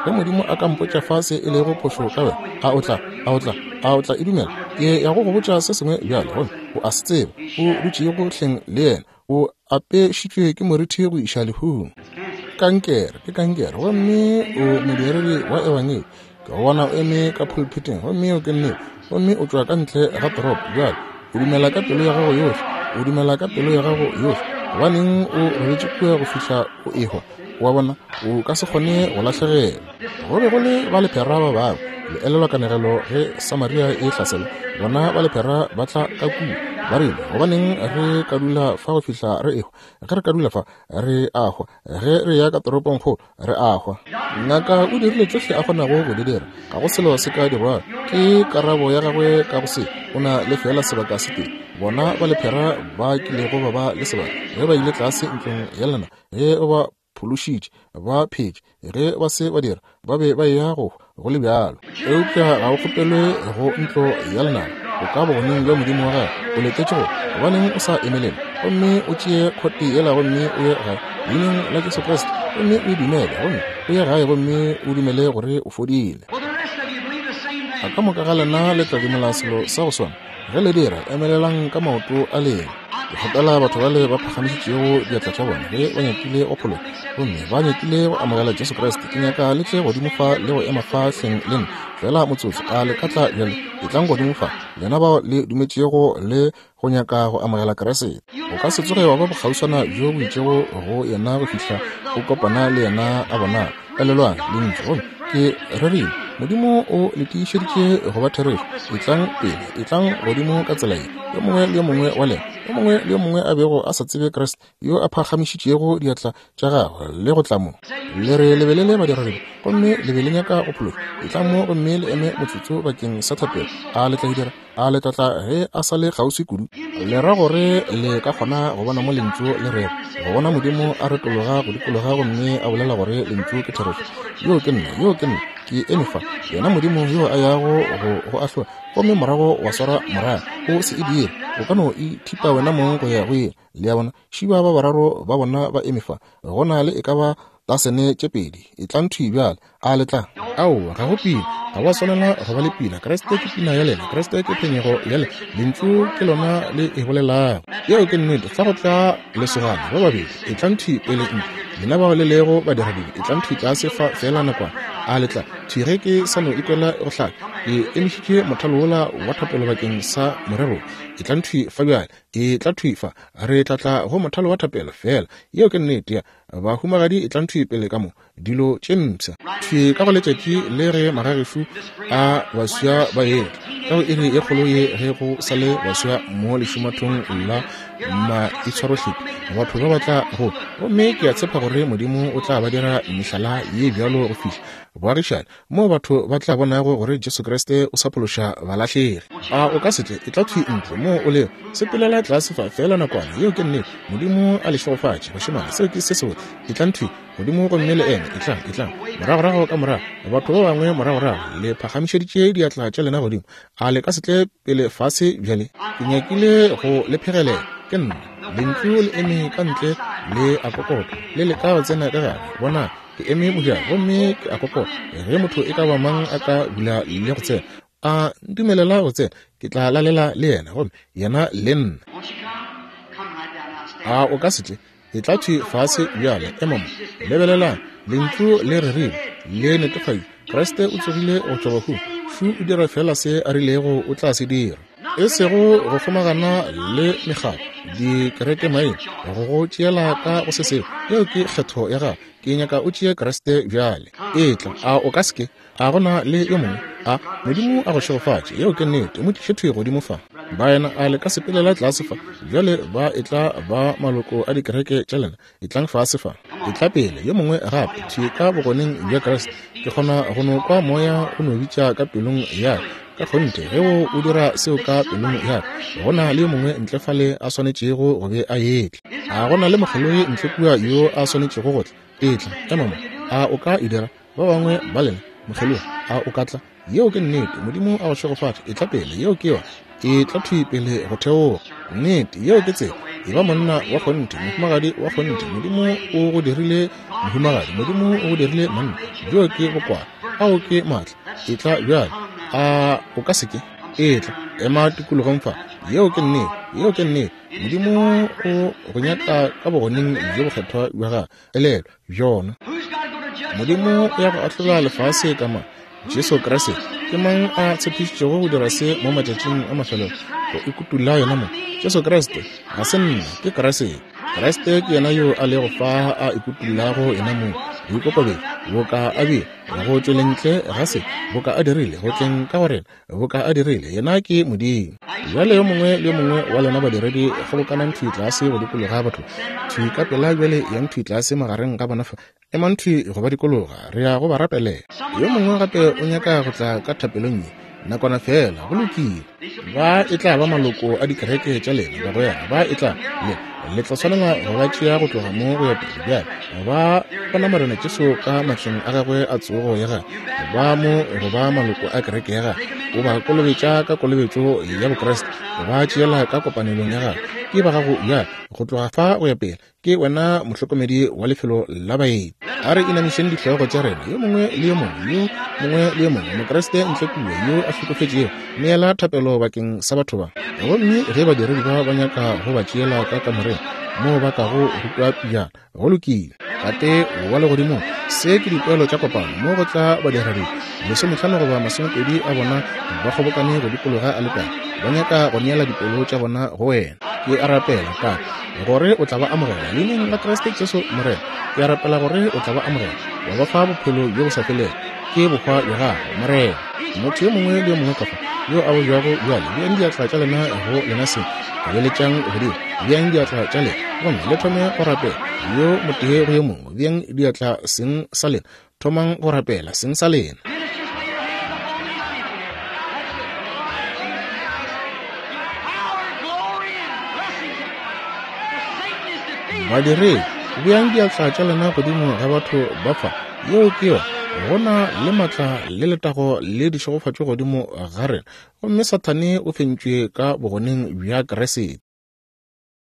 Ge Modimo a ka mpotša fa se e lego phošo ka wena, a o tla, a o tla, a o tla e dumela? Ke ya go go botša se sengwe bjale, gomme o a se tseba. O dutšego hleng le yena, o apešitšwe ke morithi go iša lehung. Kankere, ke kankere, gomme o modiredi wa ebangedi. Ke go bona o eme ka pulpiting, gomme o ke nnete, gomme o tšwa ka ntle ga toropo bjale. O dumela ka pelo ya gago yohle. O dumela ka pelo ya gago yohle. Gobaneng o robetše kua go fihla o ehwa? O a bona, o ka se kgone go lahlegelwa. Go be go le ba lephera ba bangwe. Le elelwa kanegelo ge Samaria e hlaselwa? Bona ba lephera ba tla ka kua, ba rile, gobaneng re ka dula fa go fihla re ehwa? Ge re ka dula fa, re a hwa. Ge re ya ka toropongkgolo, re a hwa. Ngaka o dirile tšohle a kgonago go di dira. Ga go selo se ka dirwago. Ke karabo ya gagwe ka go se. O na le fela sebaka se tee. Bona ba lephera ba kilego ba ba le sebaka ge ba ile tlase ntlong ya lena, ge o ba phološitše, ba phetše. Ge ba se ba dira, ba be ba eya go hwa go le bjalo. Eupša ga o kgopelwe go ntlo ya lenaba. O ka bogoneng bja Modimo wa gago. O letetše go. Gobaneng o sa emelele gomme o tšee khote yela gomme o ye gae leineng la Jesu Kriste, gomme o e dumele, gomme o ye gae gomme o dumele gore o fodile. A ka moka ga lena le tla dumela selo sa go swana? Ge le dira, emelelang ka maoto a lena. Ke kgopela batho bale ba phagamišitšego diatla tša bona ge ba nyakile go phologa gomme ba nyakile go amogela Jesu Kriste. Ke nyaka le tle godimo fa le go ema fa hleng le nna fela motsotso. A le ka tla bjale? Etlang godimo fa, lena bao le dumetšego le go nyaka go amogela Kriste. O ka se tsoge wa ba bokgauswana bjo bo itšego go yena go fihla o kopana le yena a bonala. Elelwang lentšu, gomme ke rerile Modimo o le tiišeditše go ba therešo. Etlang pele, etlang godimo ka tsela ye. Yo mongwe le yo mongwe wa lena, yo mongwe le yo mongwe a bego a sa tsebe Kriste, yo a phagamišitšego diatla tša gagwe le go tla mo. Le re lebelele badiradibe, gomme le be le nyaka go phološwa. Etlang mo gomme le eme motsotso bakeng sa thapelo. A le tla e dira? A le tla tla ge a sa le kgauswi kudu? Le ra gore le ka kgona go bona mo lentšu le rego, go bona Modimo a retologa go dikologa gomme a bolela gore lentšu ke therešo. Yo ke nna, yo ke nna, ke eme fa, yena Modimo yo a yago go go ahlola, gomme morago wa swara morago. O se e dire, o ka no ithipa wena mong go ya go ye. Le a bona, šiba ba bararo ba bona ba eme fa, go na le e ka ba tasene tše pedi. Etlang thwi bjale. A le tla? Aowa, ga go pina. Ga wa swanela go ba le pina. Kriste ke pina ya lena. Kriste ke phenyego ya lena. Lentšu ke lona le e bolelago. Yeo ke nnete. Fa go tla lesogana ba babedi, etlang thwi pele ntle. Lena bao le lego badiradibe, etlang thwi tlase fa fela nakwana. A le tla? Thwi ge ke sa no ikwela go hlaka, ke emišitše mothalo wola wa thapelo bakeng sa morero. Etlang thwi fa bjale. Etla thwi fa. Re tla tla go mothalo wa thapelo fela. Yeo ke nnete ya bahumagadi. Etlang thwi pele ka mo dilo tše mpsha thwi ka go letšatši le ge magagešu a baswa ba etla ka go iri ye kgolo ye ge go sa le baswa mo lešumathong la maitshwarohlephi. Batho ba ba tla go, gomme ke a tshepa gore Modimo o tla ba dira mehlala ye bjalo go fihla boagišane moo batho ba tla bonago gore Jesu Kriste o sa phološa balahlegi. A o ka se tle? Etla thwi ntle moo o lego, sepelela tlase fa fela nakwana. Yeo ke nnete. Modimo a le šegofatše, bašemane. Seo ke se sebotse. Etlang thwi godimo gomme le eme. Etlang, etlang moragorago ka morago. Batho ba bangwe moragorago, le phagamišeditše diatla tša lena godimo. A le ka se tle pele fase bjale? Ke nyakile go le phegelela. Ke nna lentšu le eme ka ntle le a kokota, le leka go tsena ka gare. Bona, ke eme mojako gomme ke a kokota. Ge motho e ka ba mang a ka bula le go tsena, a ntumelela go tsena, ke tla lalela le yena gomme yena le nna. A o ka se tle? Etla thwi fase bjale. Ema mo. Lebelelang, lentšu le rerile, le netefaditše. Kriste o tsogile go tšwa bahung. Šu o dira fela se a rilego o tla se dira. E sego go kgomagana le mekgatlo, dikerekemaina, go go tšeela ka go se sengwe. Yeo ke kgetho ya gago. Ke nyaka o tšee Kriste bjale. Etla. A o ka se ke? A gona le yo mongwe? A Modimo a go šegofatše. Yeo ke nnete. Mo tliše thwi godimo fa. Baena, a le ka sepelela tlase fa bjale? Ba etla ba maloko a dikereke tša lena. Etlang fase fa. Etla pele. Yo mongwe gape thwi ka bogoneng bja Kriste. Ke kgona go no kwa moya o no bitša ka pelong ya ka kgonthe. Ge o o dira seo ka pelong ya ka, go na le yo mongwe ntle fale a swanetšego go be a etla. A go na le mokgelogi ntle kua yo a swanetšego go tla? Etla, ema mo. A o ka e dira? Ba bangwe ba lena, mokgelogi, a o ka tla? Yeo ke nnete. Modimo a go šegofatše. Etla pele. Yeo ke yona. Etla thwi pele go theoga. Nnete, yeo ke tsela. E ba monna wa kgonthe, mohumagadi wa kgonthe. Modimo o go dirile mohumagadi, Modimo o go dirile monna. Bjo ke bokwala, ao ke maatla. Etla bjale. A o ka se ke? Etla, ema tikologong fa. Yeo ke nnete. Yeo ke nnete. Modimo o go nyaka ka bogoneng bjo bokgethwa bja gagwe. Elelwa bjona. Modimo o ya go ahlola lefase ka mang? Jesu Kriste. Ke mang a tshepišitšego go dira se mo matšatšing a mafelelo? Go ikutula yena mo. Jesu Kriste. Ga se nna, ke Kriste. Kriste ke yena yo a lego fa a ikutulago yena mo. Boikokobetšo boka a bile go tšweleng ntle ga se boka a dirile go tleng ka go rena boka a dirile. Yena ke Modimo. Bjale yo mongwe le yo mongwe wa lena badiredi kgobokanang thwi tlase go dikologa batho thwi ka pela bjale. Yang thwi tlase magareng ga bona fa. Emang thwi go ba dikologa. Re ya go ba rapelela. Yo mongwe gape o nyaka go tla ka thapelong ye nakwana fela. Go lokile. Ba e tla ba maloko a dikereke tša lena bagwera. Ba e tla le le tla swanela go ba tšea go tloga mo go ya pele bjale. Ba bona Morena Jesu ka matleng a gagwe a tsogo ya gagwe. Ba mo go ba maloko a kereke ya gagwe. O ba kolobetša ka kolobetšo ya Bokriste. O ba tšeela ka kopanelong ya gagwe. Ke ba gago bjale go tloga fa go ya pele. Ke wena mohlokomedi wa lefelo la baeti. A re inamišeng dihlogo tša rena. Yo mongwe le yo mongwe, yo mongwe le yo mongwe Mokriste ntle kua yo a hlokofetšego, neela thapelo bakeng sa batho ba. Gomme ge badiredi ba ba nyaka go ba tšeela ka kamoreng moo ba kago rutwa pejana, go lokile. Tate wa legodimong, se ke dipoelo tša kopano mo go tla badiredi lesomehlano goba masomepedi a bona ba kgobokane go dikologa aletare, ba nyaka go neela dipelo tša bona go wena. Ke a rapela, Tate, gore o tla ba amogela leineng la Kriste Jesu Morena. Ke a rapela gore o tla ba amogela wa ba fa bophelo bjo bo sa felego. Ke bohwa bja gago, Morena. Motho yo mongwe le yo mongwe ka fa yo a bojwago bjale, beang diatla tša lena go lena seng, beeletšang godimo, beang diatla tša lena gomme le thome go rapela yo motee go yo mongwe. Beang diatla seng sa lena, thomang go rapela seng sa lena. Badiredi, beang diatla tša lena godimo ga batho ba fa. Yeo ke yona. Go na le maatla le letago le dišegofatšo godimo ga rena, gomme Sathane o fentšwe ka bogoneng bja Kriste.